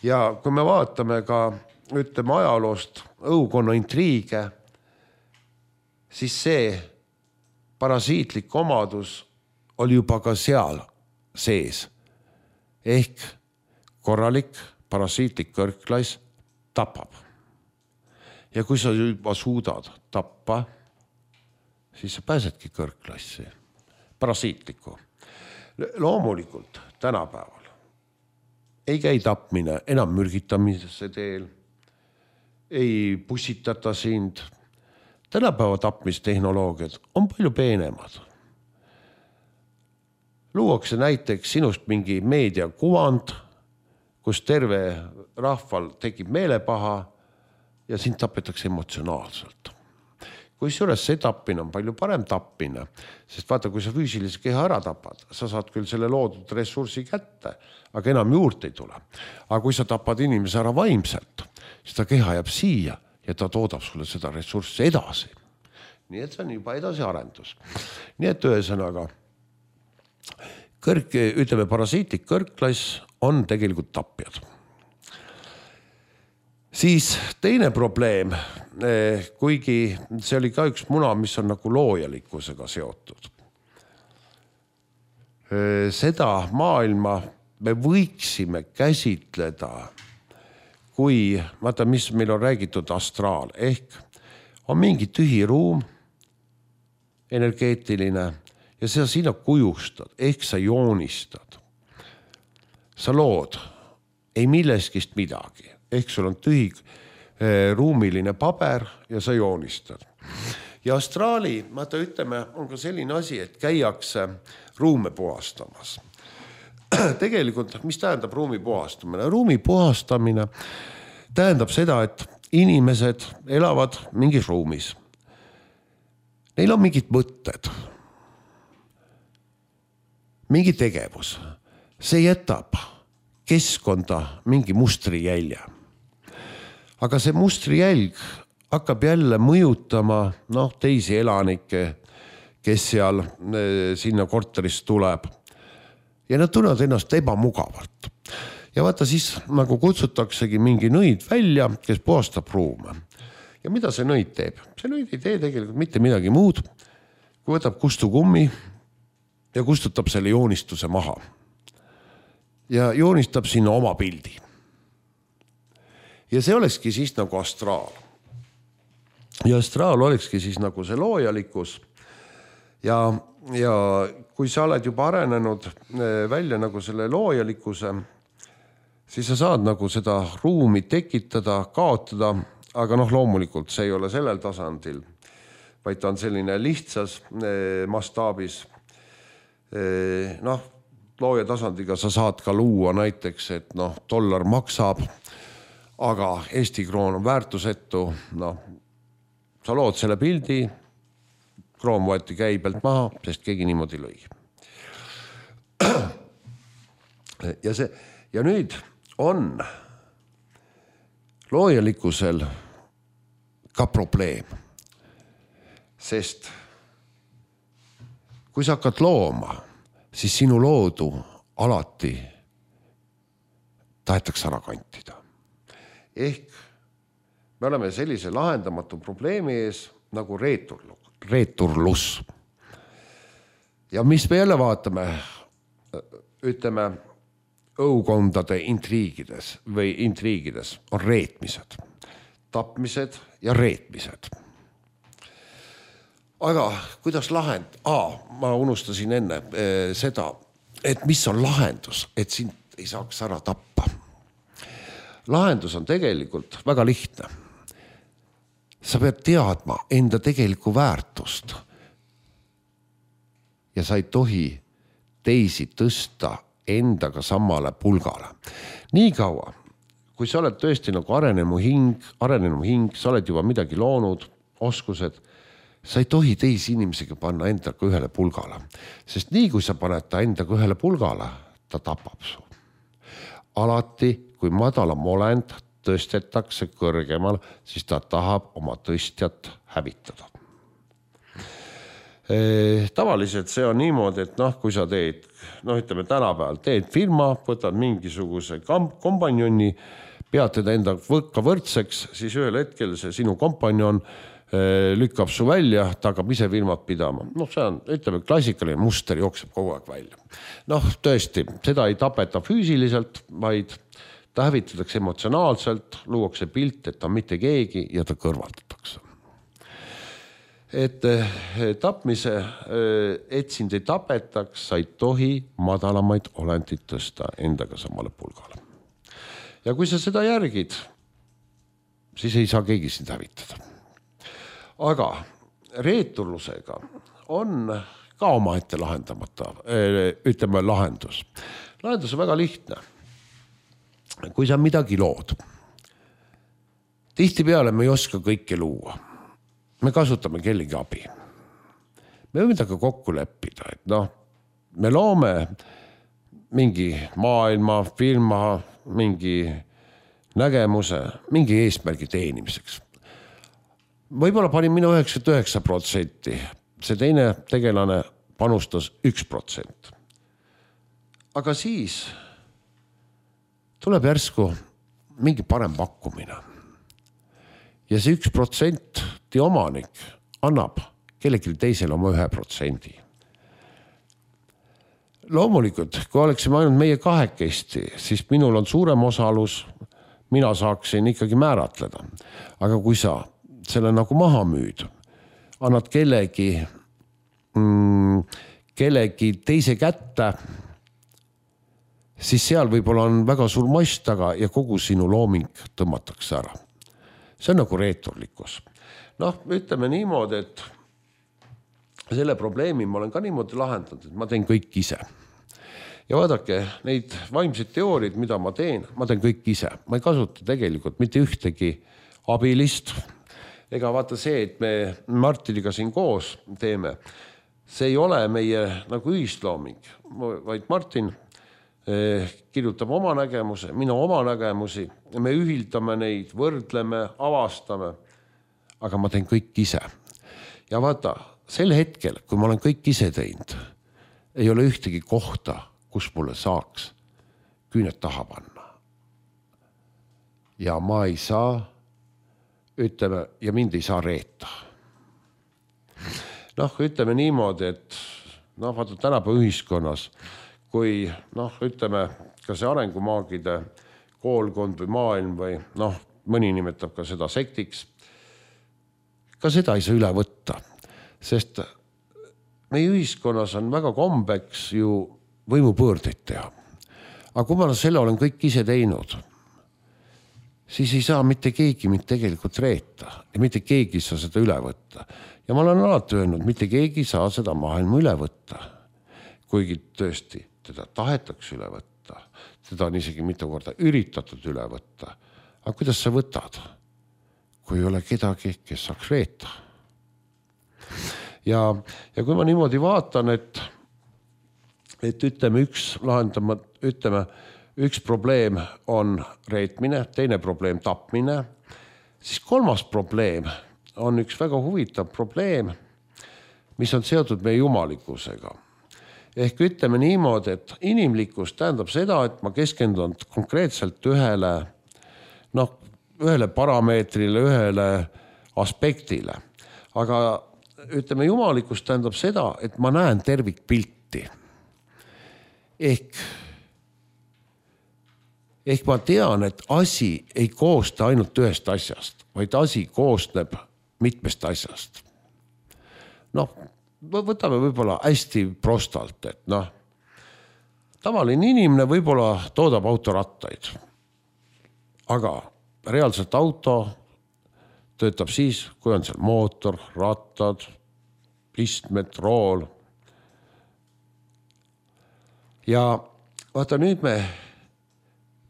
Ja kui me vaatame ka, ütleme ajaloost õukonna intriige, siis see parasiitlik omadus oli juba ka seal sees. Ehk korralik parasiitlik kõrgklass tapab. Ja kui sa juba suudad tappa, siis sa pääsedki kõrgklassi, parasiitliku. Loomulikult tänapäeval ei käi tapmine enam mürgitamise teel, ei pussitata sind. Tänapäeva tapmistehnoloogiad on palju peenemad. Luuakse näiteks sinust mingi meediakuvand, kus terve rahval tekib meelepaha ja sind tapetakse emotsionaalselt. Kui juures see tappine on palju parem tappine, sest vaata, kui sa füüsilise keha ära tapad, sa saad küll selle loodud ressursi kätte, aga enam juurde ei tule. Aga kui sa tapad inimese ära vaimselt, siis ta keha jääb siia ja ta toodab sulle seda ressurssi edasi. Nii et see on juba edasi arendus. Nii et ühesõnaga, kõrg, ütleme, parasiitlik kõrgklass on tegelikult tapjad. Siis teine probleem, kuigi see oli ka üks muna, mis on nagu loojalikkusega seotud. Seda maailma me võiksime käsitleda kui, vaata, mis meil on räägitud astraal, ehk on mingi tühi ruum, energeetiline, ja sa sinna kujustad, ehk sa joonistad. Sa lood ei milleskist midagi, ehk sul on tühi eh, ruumiline paber ja sa joonistad. Ja astraali, vaata ütleme, on ka selline asi, et käiakse ruume puhastamas. Tegelikult, mis tähendab ruumi puhastamine? Ruumi puhastamine tähendab seda, et inimesed elavad mingis ruumis. Neil on mingid mõtted, mingi tegevus. See jätab keskkonda mingi mustrijälje. Aga see mustrijälg hakkab jälle mõjutama noh, teisi elanikke, kes seal sinna korteris tuleb. Ja nad tunnevad ennast ebamugavalt. Ja vaata siis nagu kutsutaksegi mingi nõid välja, kes puhastab ruume. Ja mida see nõid teeb? See nõid ei tee tegelikult mitte midagi muud, kui võtab kustukummi ja kustutab selle joonistuse maha. Ja joonistab sinna oma pildi. Ja see olekski siis nagu astraal. Ja astraal olekski siis nagu see loojalikkus. Ja, ja kui sa oled juba arenenud välja nagu selle loojalikkuse, siis sa saad nagu seda ruumi tekitada, kaotada, aga noh, loomulikult see ei ole sellel tasandil, vaid ta on selline lihtsas mastaabis. Noh, looja tasandiga sa saad ka luua näiteks, et noh, dollar maksab, aga Eesti kroon on väärtusetu. Noh, sa lood selle pildi, kroon võeti käibelt maha, sest keegi niimoodi lõi. Ja, see, ja nüüd on loojalikkusel ka probleem, sest kui sa hakkad looma, siis sinu loodu alati tahetakse ära kantida. Ehk me oleme sellise lahendamatu probleemi ees nagu reeturlus. Ja mis me jälle vaatame, ütleme, õukondade intriigides või intriigides on reetmised, tapmised ja reetmised. Aga kuidas lahend? Aa, ma unustasin enne eh, seda, et mis on lahendus, et sind ei saaks ära tappa. Lahendus on tegelikult väga lihtne. Sa pead teadma enda tegelikku väärtust. Ja sa ei tohi teisi tõsta endaga samale pulgale. Nii kaua, kui sa oled tõesti nagu arenenu hing, arenenu hing, sa oled juba midagi loonud, oskused, sa ei tohi teisi inimesega panna endaga ühele pulgale. Sest nii kui sa paned ta endaga ühele pulgale, ta tapab su. Alati, kui madalam olend tõstetakse kõrgemal, siis ta tahab oma tõstjat hävitada. E, tavaliselt see on niimoodi, et noh, kui sa teed, noh ütleme tänapäeval, teed firma, võtad mingisuguse kompanjoni, pead teda enda võkka võrdseks, siis ühel hetkel see sinu kompanjon lükkab su välja, ta hakkab ise firmat pidama. Noh, see on, ütleme, klassikaline muster jookseb kogu aeg välja. Noh, tõesti, seda ei tapeta füüsiliselt, vaid ta hävitatakse emotsionaalselt, luuakse pilt, et ta on mitte keegi ja ta kõrvaldatakse. Et tapmise, et sind ei tapetaks, sa ei tohi madalamaid olendid tõsta endaga samale pulgale. Ja kui sa seda järgid, siis ei saa keegi sind hävitada. Aga reeturlusega on ka oma ette lahendamata, ütleme lahendus. Lahendus on väga lihtne. Kui sa midagi lood, tihti peale me ei oska kõike luua. Me kasutame kellegi abi. Me võime midagi kokku leppida, et noh, me loome mingi maailma, firma, mingi nägemuse, mingi eesmärgi teenimiseks. Võib-olla panin minu üheksakümmend üheksa protsenti, see teine tegelane panustas üks protsent. Aga siis tuleb järsku mingi parem pakkumine. ja see üks protsenti omanik annab kellelgi teisele oma ühe protsendi. Loomulikult, kui oleksime ainult meie kahekesti, siis minul on suurem osalus, mina saaksin ikkagi määratleda. Aga kui sa selle nagu maha müüd, annad kellegi, mm, kellegi teise kätte, siis seal võib-olla on väga suur mass taga ja kogu sinu looming tõmmatakse ära. See on nagu reeturlikkus. Noh, ütleme niimoodi, et selle probleemi ma olen ka niimoodi lahendanud, et ma teen kõik ise. Ja vaadake, neid vaimseid teooriid, mida ma teen, ma teen kõik ise. Ma ei kasuta tegelikult mitte ühtegi abilist. Ega vaata see, et me Martiniga siin koos teeme, see ei ole meie nagu ühislooming, vaid Martin kirjutab oma nägemuse, mina oma nägemusi, me ühildame neid, võrdleme, avastame, aga ma teen kõik ise. Ja vaata, sel hetkel, kui ma olen kõik ise teinud, ei ole ühtegi kohta, kus mulle saaks küüned taha panna. Ja ma ei saa, ütleme, ja mind ei saa reeta. Noh, ütleme niimoodi, et noh, vaata tänapäeva ühiskonnas, kui noh, ütleme, ka see arengumaagide koolkond või maailm või noh, mõni nimetab ka seda sektiks, ka seda ei saa üle võtta, sest meie ühiskonnas on väga kombeks ju võimupõõrdeid teha. Aga kui ma selle olen kõik ise teinud, siis ei saa mitte keegi mind tegelikult reeta ja mitte keegi ei saa seda üle võtta. Ja ma olen alati öelnud, mitte keegi ei saa seda maailma üle võtta. Kuigi tõesti, teda tahetakse üle võtta. Teda on isegi mitu korda üritatud üle võtta. Aga kuidas sa võtad, kui ei ole kedagi, kes saaks reeta? Ja, ja kui ma niimoodi vaatan, et et ütleme üks lahendama, ütleme, üks probleem on reetmine, teine probleem tapmine, siis kolmas probleem on üks väga huvitav probleem, mis on seotud meie jumalikkusega. Ehk ütleme niimoodi, et inimlikkus tähendab seda, et ma keskendun konkreetselt ühele, noh, ühele parameetrile, ühele aspektile. Aga ütleme, jumalikkus tähendab seda, et ma näen tervikpilti. Ehk, ehk ma tean, et asi ei koosta ainult ühest asjast, vaid asi koosneb mitmest asjast. Noh, võtame võib-olla hästi prostalt, et noh, tavaline inimene võib-olla toodab autorattaid, aga reaalselt auto töötab siis, kui on seal mootor, rattad, istmed, rool. Ja vaata nüüd me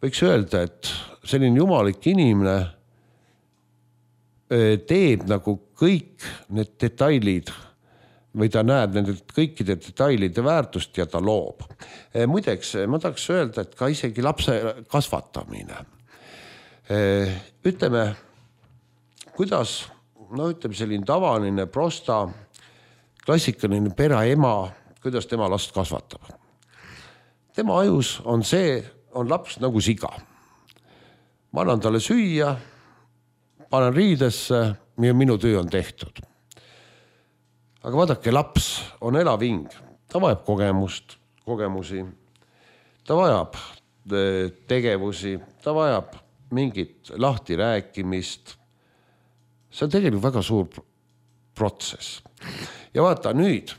võiks öelda, et selline jumalik inimene teeb nagu kõik need detailid või ta näeb nende kõikide detailide väärtust ja ta loob. Muideks, ma tahaks öelda, et ka isegi lapse kasvatamine. Ütleme, kuidas, no ütleme selline tavaline, prosta, klassikaline pereema, kuidas tema last kasvatab. Tema ajus on see, on laps nagu siga. Ma annan talle süüa, panen riidesse ja minu töö on tehtud. Aga vaadake, laps on elav hing. Ta vajab kogemust, kogemusi, ta vajab tegevusi, ta vajab mingit lahti rääkimist. See on tegelikult väga suur protsess. Ja vaata nüüd,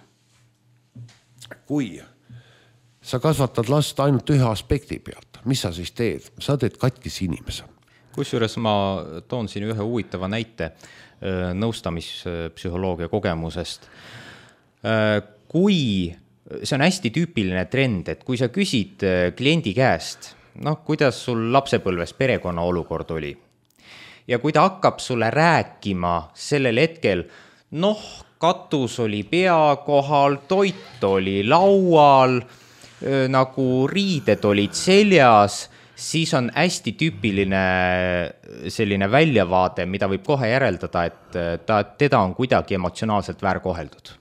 kui sa kasvatad last ainult ühe aspekti pealt, mis sa siis teed? Sa teed katkis inimese. Kusjuures ma toon siin ühe huvitava näite nõustamispsühholoogia kogemusest. Kui, see on hästi tüüpiline trend, et kui sa küsid kliendi käest, noh, kuidas sul lapsepõlves perekonna olukord oli, ja kui ta hakkab sulle rääkima sellel hetkel, noh, katus oli pea kohal, toit oli laual, nagu riided olid seljas, siis on hästi tüüpiline selline väljavaade, mida võib kohe järeldada, et ta, teda on kuidagi emotsionaalselt väärkoheldud.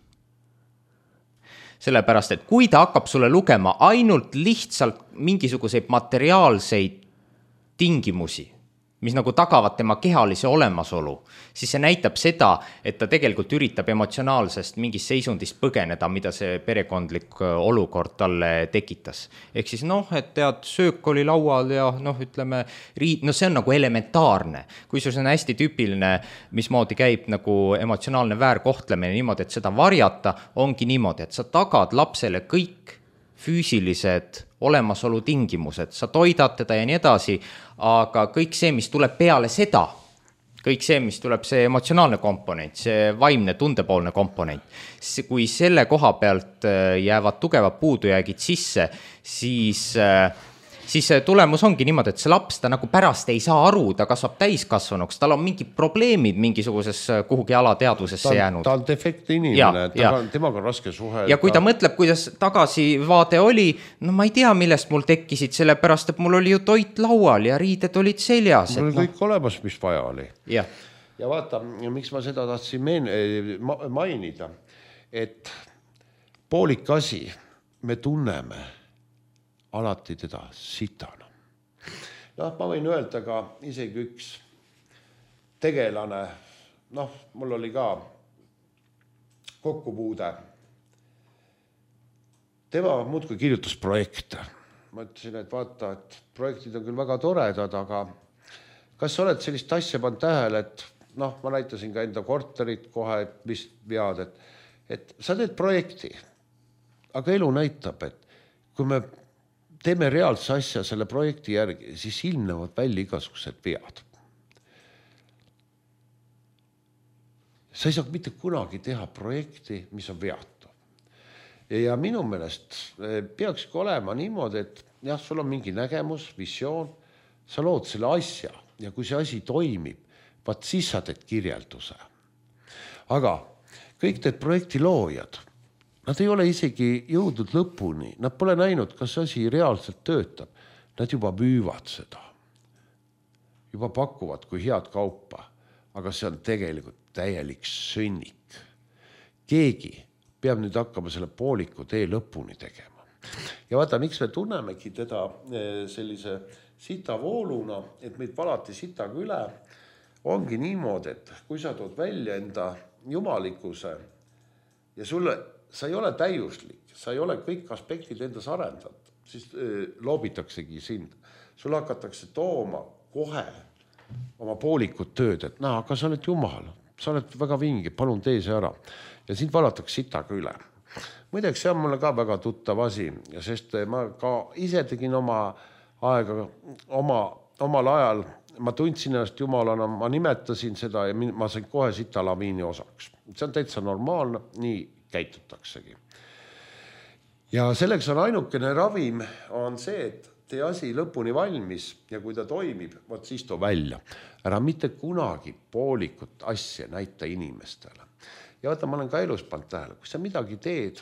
Sellepärast, et kui ta hakkab sulle lugema ainult lihtsalt mingisuguseid materiaalseid tingimusi, mis nagu tagavad tema kehalise olemasolu, siis see näitab seda, et ta tegelikult üritab emotsionaalsest mingist seisundist põgeneda, mida see perekondlik olukord talle tekitas. Ehk siis noh, et tead, söök oli laual ja noh, ütleme, riid, no see on nagu elementaarne. Kui see on hästi tüüpiline, mismoodi käib nagu emotsionaalne väärkohtlemine niimoodi, et seda varjata, ongi niimoodi, et sa tagad lapsele kõik füüsilised olemasolu tingimused, sa toidad teda ja nii edasi, aga kõik see, mis tuleb peale seda, kõik see, mis tuleb see emotsionaalne komponent, see vaimne tundepoolne komponent, kui selle koha pealt jäävad tugevad puudujäägid sisse, siis, siis tulemus ongi niimoodi, et see laps ta nagu pärast ei saa aru, ta kasvab täiskasvanuks, tal on mingid probleemid mingisuguses kuhugi alateadvusesse jäänud. Ta on defektne inimene, temaga on raske suhelda. Ja kui ta mõtleb, kuidas tagasivaade oli, no ma ei tea, millest mul tekkisid, sellepärast, et mul oli ju toit laual ja riided olid seljas. Mul oli kõik no... olemas, mis vaja oli. Ja. ja vaata, miks ma seda tahtsin meen... mainida, et poolik asi me tunneme alati teda sitana. Noh, ma võin öelda ka isegi üks tegelane, noh, mul oli ka kokkupuude. Tema muudkui kirjutas projekte. Ma ütlesin, et vaata, et projektid on küll väga toredad, aga kas sa oled sellist asja pannud tähele, et noh, ma näitasin ka enda korterit kohe, et mis vead, et, et sa teed projekti, aga elu näitab, et kui me teeme reaalse asja selle projekti järgi, siis ilmnevad välja igasugused vead. Sa ei saa mitte kunagi teha projekti, mis on veatu. Ja minu meelest peakski olema niimoodi, et jah, sul on mingi nägemus, visioon, sa lood selle asja ja kui see asi toimib, vaat siis sa teed kirjelduse. Aga kõik need projekti loojad, nad ei ole isegi jõudnud lõpuni, nad pole näinud, kas asi reaalselt töötab. Nad juba müüvad seda, juba pakuvad kui head kaupa, aga see on tegelikult täielik sõnnik. Keegi peab nüüd hakkama selle pooliku tee lõpuni tegema. Ja vaata, miks me tunnemegi teda sellise sitavooluna, et meid valati sitaga üle, ongi niimoodi, et kui sa tood välja enda jumalikkuse ja sulle sa ei ole täiuslik, sa ei ole kõik aspektid endas arendad, siis loobitaksegi sind. Sul hakatakse tooma kohe oma poolikut tööd, et naa, aga sa oled jumal, sa oled väga vingi, palun tee see ära. Ja sind valatakse sitaga üle. Muideks see on mulle ka väga tuttav asi, sest ma ka ise tegin oma aega, oma, omal ajal, ma tundsin ennast jumalana, ma nimetasin seda ja ma sain kohe sita laviini osaks. See on täitsa normaalne, nii käitutaksegi. Ja selleks on ainukene ravim on see, et tee asi lõpuni valmis ja kui ta toimib, võt siis too välja. Ära mitte kunagi poolikut asja näita inimestele. Ja vaata, ma olen ka elus pannud tähele, kui sa midagi teed,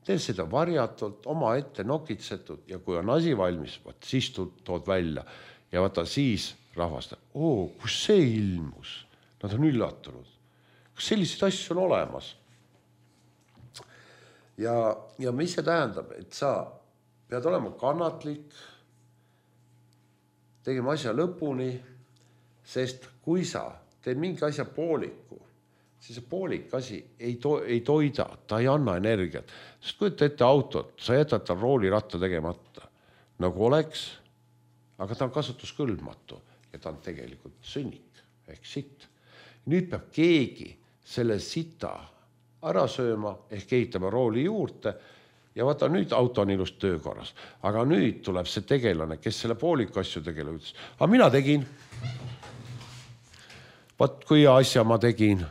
tee seda varjatult, oma ette nokitsetud ja kui on asi valmis, võt siis tood välja. Ja vaata siis rahvasta, oo, kus see ilmus? Nad on üllatunud. Kas sellised asju on olemas? Ja, ja mis see tähendab, et sa pead olema kannatlik, tegema asja lõpuni, sest kui sa teed mingi asja pooliku, siis see poolik asi ei, to, ei toida, ta ei anna energiat. Sest kui ette autot, sa jätad ta rooliratta tegemata, nagu oleks, aga ta on kasutuskõlbmatu ja ta on tegelikult sõnnik ehk sitt. Nüüd peab keegi selle sita ära sööma ehk ehitama rooli juurde ja vaata nüüd auto on ilus töökorras. Aga nüüd tuleb see tegelane, kes selle pooliku asju tegele ütles. Aga mina tegin. Vaat kui asja ma tegin,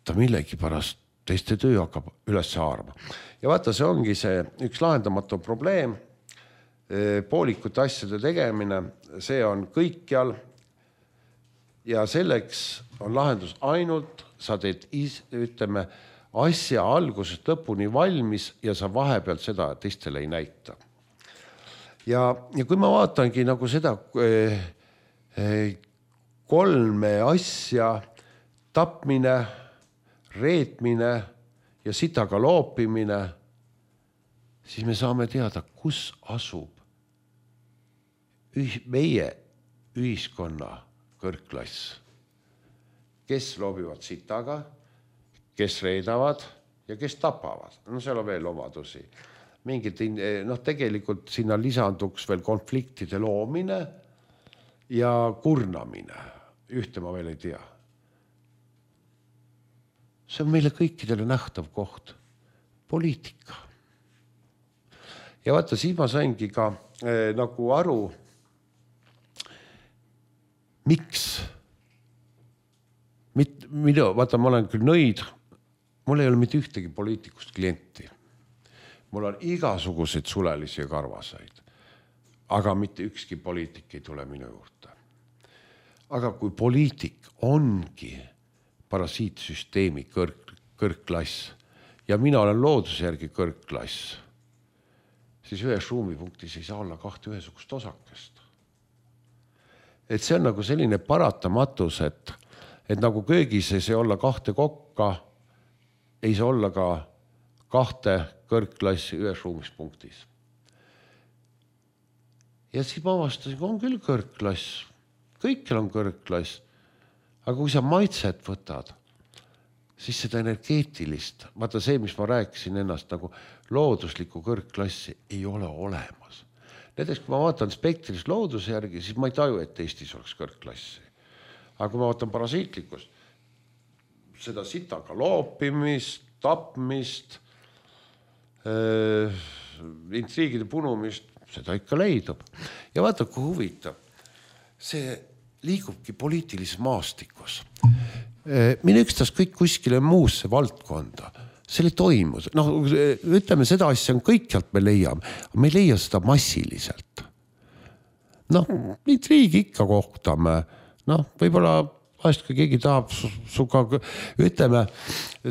ta millegi pärast teiste töö hakkab üles haarama. Ja vaata, see ongi see üks lahendamatu probleem. Poolikute asjade tegemine, see on kõikjal ja selleks on lahendus ainult sa teed, ütleme, asja algusest lõpuni valmis ja sa vahepeal seda teistele ei näita. Ja, ja kui ma vaatangi nagu seda kolme asja, tapmine, reetmine ja sitaga loopimine, siis me saame teada, kus asub meie ühiskonna kõrgklass, kes loobivad sitaga, kes reedavad ja kes tapavad. No seal on veel omadusi. Mingid, noh, tegelikult sinna lisanduks veel konfliktide loomine ja kurnamine. Ühte ma veel ei tea. See on meile kõikidele nähtav koht. Poliitika. Ja vaata, siis ma saingi ka eh, nagu aru, miks? Mit, mida, vaata, ma olen küll nõid, mul ei ole mitte ühtegi poliitikust klienti. Mul on igasuguseid sulelisi ja karvasaid, aga mitte ükski poliitik ei tule minu juurde. Aga kui poliitik ongi parasiitsüsteemi kõrg, kõrgklass ja mina olen looduse järgi kõrgklass, siis ühes ruumipunktis ei saa olla kahte ühesugust osakest. Et see on nagu selline paratamatus, et, et nagu köögis ei saa olla kahte kokka, ei saa olla ka kahte kõrgklassi ühes ruumispunktis. Ja siis ma avastasin, on küll kõrgklass, kõikjal on kõrgklass, aga kui sa maitset võtad, siis seda energeetilist, vaata see, mis ma rääkisin ennast nagu looduslikku kõrgklassi, ei ole olemas. Näiteks, kui ma vaatan spektris looduse järgi, siis ma ei taju, et Eestis oleks kõrgklassi. Aga kui ma vaatan parasiitlikkust, seda sitaga loopimist, tapmist, äh, intriigide punumist, seda ikka leidub. Ja vaata, kui huvitav, see liigubki poliitilises maastikus. Mine ükstas kõik kuskile muusse valdkonda. See ei toimu. No, ütleme, seda asja on kõikjalt me leiame, aga me ei leia seda massiliselt. Noh, intriigi ikka kohtame. Noh, võib-olla vahest, kui keegi tahab suga, ütleme,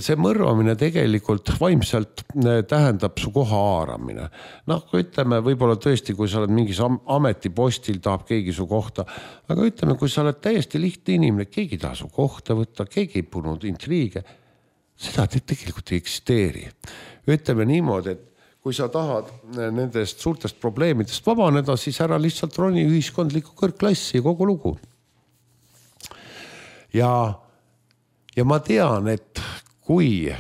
see mõrvamine tegelikult vaimselt tähendab su koha haaramine. Noh, kui ütleme, võib-olla tõesti, kui sa oled mingis ametipostil, tahab keegi su kohta, aga ütleme, kui sa oled täiesti lihtne inimene, keegi taha su kohta võtta, keegi ei punud intriige, seda tegelikult ei eksisteeri. Ütleme niimoodi, et kui sa tahad nendest suurtest probleemidest vabaneda, siis ära lihtsalt roni ühiskondliku kõrgklassi kogu lugu. Ja, ja ma tean, et kui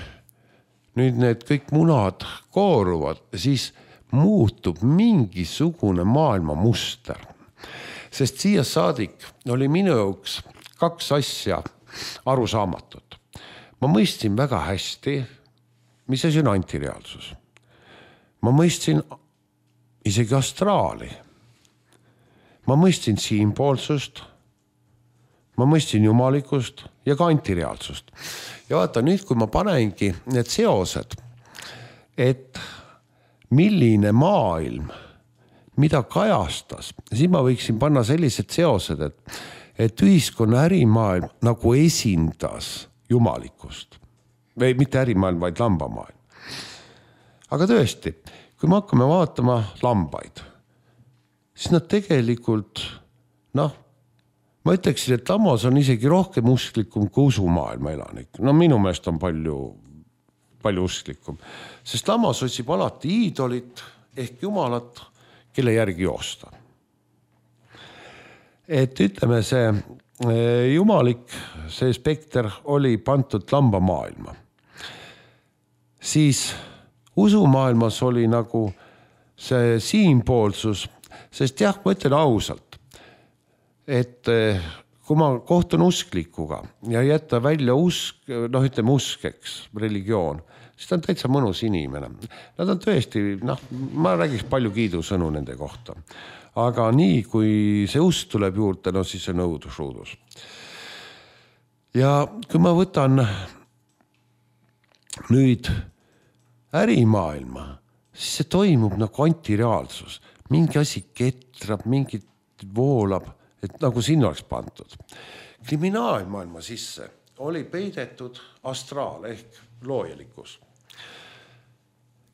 nüüd need kõik munad kooruvad, siis muutub mingisugune maailma muster. Sest siia saadik oli minu jaoks kaks asja arusaamatut. Ma mõistsin väga hästi, mis asi on antireaalsus. Ma mõistsin isegi astraali. Ma mõistsin siinpoolsust. Ma mõistsin jumalikust ja ka antireaalsust. Ja vaata, nüüd kui ma panengi need seosed, et milline maailm, mida kajastas, siis ma võiksin panna sellised seosed, et, et ühiskonna ärimaailm nagu esindas jumalikust. Või mitte ärimaailm, vaid lambamaailm. Aga tõesti, kui me hakkame vaatama lambaid, siis nad tegelikult, noh, ma ütleksin, et lammas on isegi rohkem usklikum kui usumaailma elanik. No minu meelest on palju, palju usklikum. Sest lammas otsib alati iidolit ehk jumalat, kelle järgi joosta. Et ütleme, see jumalik, see spekter oli pantud lambamaailma. Siis usumaailmas oli nagu see siinpoolsus, sest jah, ma ütlen ausalt, et kui ma kohtun usklikuga ja jätta välja usk, noh ütleme uskeks, religioon, siis ta on täitsa mõnus inimene. Nad on tõesti, noh, ma räägiks palju kiidusõnu nende kohta. Aga nii, kui see usk tuleb juurde, no siis on õudusruudus. Ja kui ma võtan nüüd ärimaailma, siis see toimub nagu antireaalsus. Mingi asi ketrab, mingi voolab, et nagu sinna oleks pandud. Kriminaalmaailma sisse oli peidetud astraal ehk loojelikkus.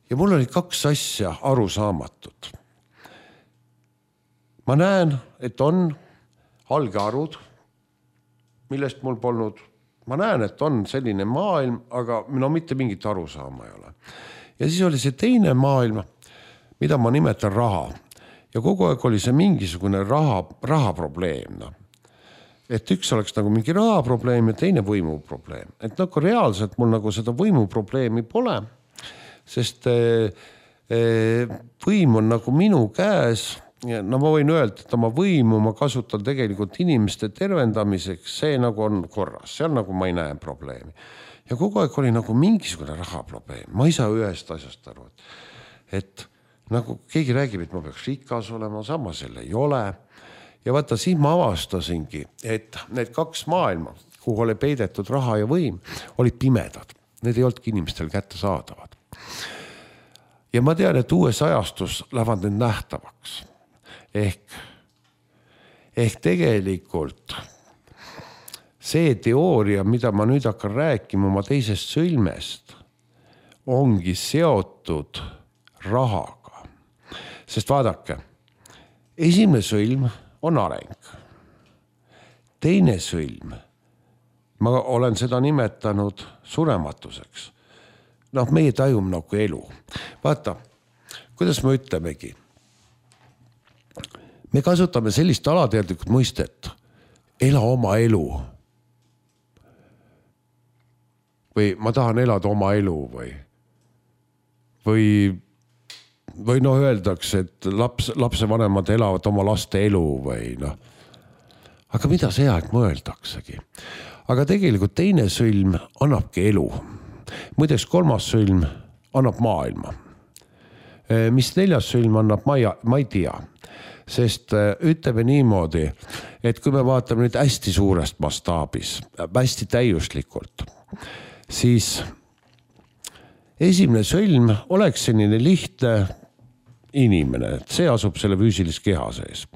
Ja mul oli kaks asja arusaamatut. Ma näen, et on algearvud, millest mul polnud. Ma näen, et on selline maailm, aga no mitte mingit arusaama ei ole. Ja siis oli see teine maailm, mida ma nimetan raha. ja kogu aeg oli see mingisugune raha, raha probleem. No. Et üks oleks nagu mingi raha probleem ja teine võimu probleem. Et nagu reaalselt mul nagu seda võimu probleemi pole, sest eh, eh, võim on nagu minu käes. No ma võin öelda, et oma võimu ma kasutan tegelikult inimeste tervendamiseks, see nagu on korras, seal nagu ma ei näe probleemi. Ja kogu aeg oli nagu mingisugune raha probleem. Ma ei saa ühest asjast aru, et, et nagu keegi räägib, et ma peaks rikas olema, sama selle ei ole. Ja vaata, siin ma avastasingi, et need kaks maailma, kuhu oli peidetud raha ja võim, olid pimedad. Need ei olnudki inimestel kätte saadavad. Ja ma tean, et uues ajastus lähevad need nähtavaks. Ehk, ehk tegelikult see teooria, mida ma nüüd hakkan rääkima oma teisest sõlmest, ongi seotud rahaga. Sest vaadake, esimene sõlm on areng. Teine sõlm, ma olen seda nimetanud surematuseks. Noh, meie tajume nagu elu. Vaata, kuidas me ütlemegi? Me kasutame sellist alateadlikult mõistet, ela oma elu. Või ma tahan elada oma elu või, või, või noh öeldakse, et laps, lapsevanemad elavad oma laste elu või noh. Aga mida see aeg mõeldaksegi? Aga tegelikult teine sõlm annabki elu. Muideks kolmas sõlm annab maailma. Mis neljas sõlm annab, ma ei, ma ei tea. Sest ütleme niimoodi, et kui me vaatame nüüd hästi suurest mastaabis, hästi täiuslikult, siis esimene sõlm oleks selline lihtne inimene, et see asub selle füüsilis keha sees.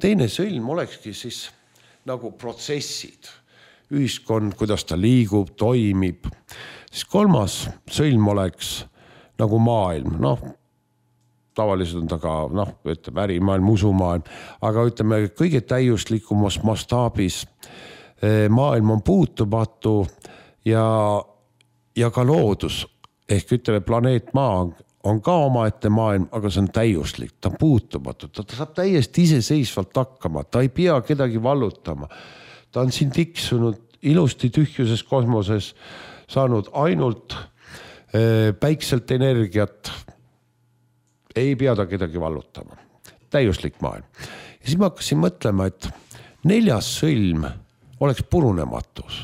Teine sõlm olekski siis nagu protsessid, ühiskond, kuidas ta liigub, toimib. Siis kolmas sõlm oleks nagu maailm, noh, tavaliselt on ta ka, noh, ütleme, ärimaailm, usumaailm, aga ütleme, kõige täiuslikumas mastaabis maailm on puutumatu ja, ja ka loodus, ehk ütleme, planeet Maa on ka omaette maailm, aga see on täiuslik, ta on puutumatu, ta, ta saab täiesti iseseisvalt hakkama, ta ei pea kedagi vallutama. Ta on siin tiksunud ilusti tühjuses kosmoses, saanud ainult eh, päikselt energiat, ei pea ta kedagi vallutama. Täiuslik maailm. Ja siis ma hakkasin mõtlema, et neljas sõlm oleks purunematus.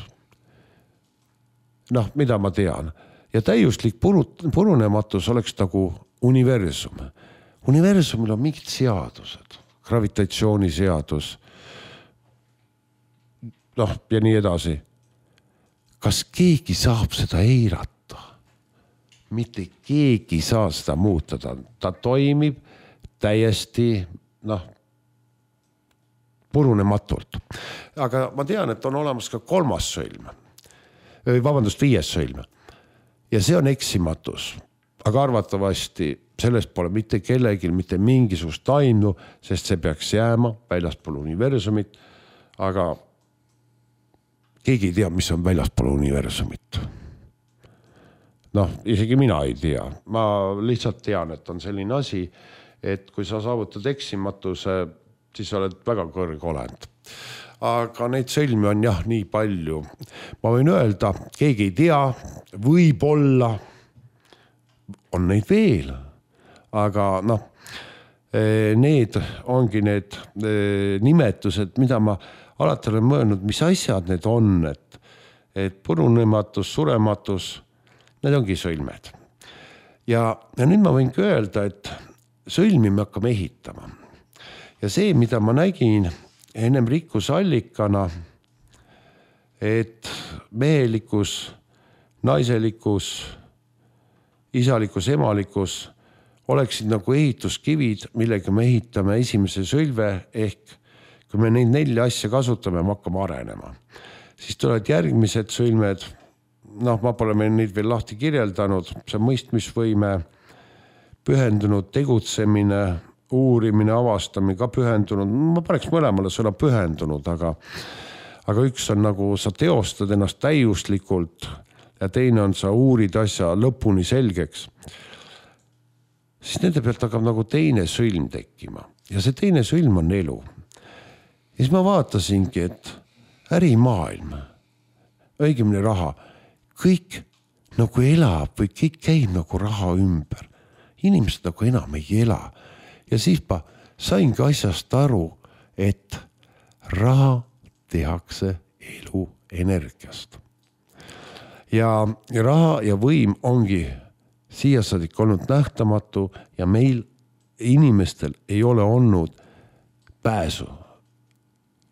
Noh, mida ma tean. Ja täiuslik purunematus oleks nagu universum. Universumil on mingid seadused. Gravitatsiooniseadus. Noh, ja nii edasi. Kas keegi saab seda eirata? Mitte keegi saa seda muuta, ta, ta toimib täiesti noh, purunematult. Aga ma tean, et on olemas ka kolmas sõlm, vabandust, viies sõlm. Ja see on eksimatus, aga arvatavasti sellest pole mitte kellelgi mitte mingisugust aimu, sest see peaks jääma väljaspool universumit, aga keegi ei tea, mis on väljaspool universumit. Noh, isegi mina ei tea. Ma lihtsalt tean, et on selline asi, et kui sa saavutad eksimatuse, siis oled väga kõrge olend. Aga neid sõlmi on jah nii palju. Ma võin öelda, keegi ei tea, võib-olla on neid veel. Aga noh, need ongi need nimetused, mida ma alati olen mõelnud, mis asjad need on, et, et purunematus, surematus, need ongi sõlmed. Ja, ja nüüd ma võingi öelda, et sõlmi me hakkame ehitama. Ja see, mida ma nägin ennem rikkusallikana, et mehelikus, naiselikus, isalikus, emalikus oleksid nagu ehituskivid, millega me ehitame esimese sõlve, ehk kui me neid nelja asja kasutame, me hakkame arenema. Siis tulevad järgmised sõlmed, noh, ma pole meil neid veel lahti kirjeldanud, see mõistmisvõime, pühendunud tegutsemine, uurimine, avastamine, ka pühendunud, ma paneks mõlemale sõna pühendunud, aga, aga üks on nagu sa teostad ennast täiuslikult ja teine on sa uurid asja lõpuni selgeks. Siis nende pealt hakkab nagu teine sõlm tekkima ja see teine sõlm on elu. Ja siis ma vaatasingi, et ärimaailm, õigemini raha, kõik nagu elab või kõik käib nagu raha ümber. Inimesed nagu enam ei ela. Ja siis ma saingi asjast aru, et raha tehakse elu energiast. Ja raha ja võim ongi siia saadik olnud nähtamatu ja meil inimestel ei ole olnud pääsu,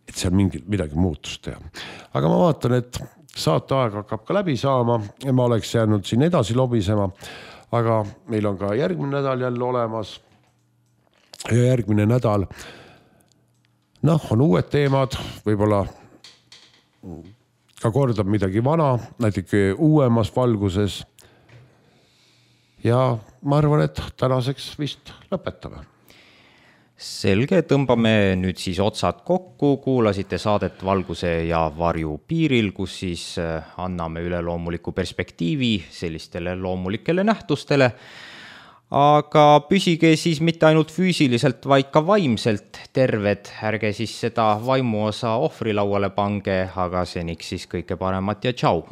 et seal mingi, midagi muutust teha. Aga ma vaatan, et saateaeg hakkab ka läbi saama ja ma oleks jäänud siin edasi lobisema, aga meil on ka järgmine nädal jälle olemas ja järgmine nädal noh, on uued teemad, võib-olla ka kordab midagi vana, näiteks uuemas valguses. Ja ma arvan, et tänaseks vist lõpetame. Selge, tõmbame nüüd siis otsad kokku, kuulasite saadet Valguse ja varju piiril, kus siis anname üleloomuliku perspektiivi sellistele loomulikele nähtustele. Aga püsige siis mitte ainult füüsiliselt, vaid ka vaimselt terved. Ärge siis seda vaimu osa ohvrilauale pange, aga seniks siis kõike paremat ja tšau!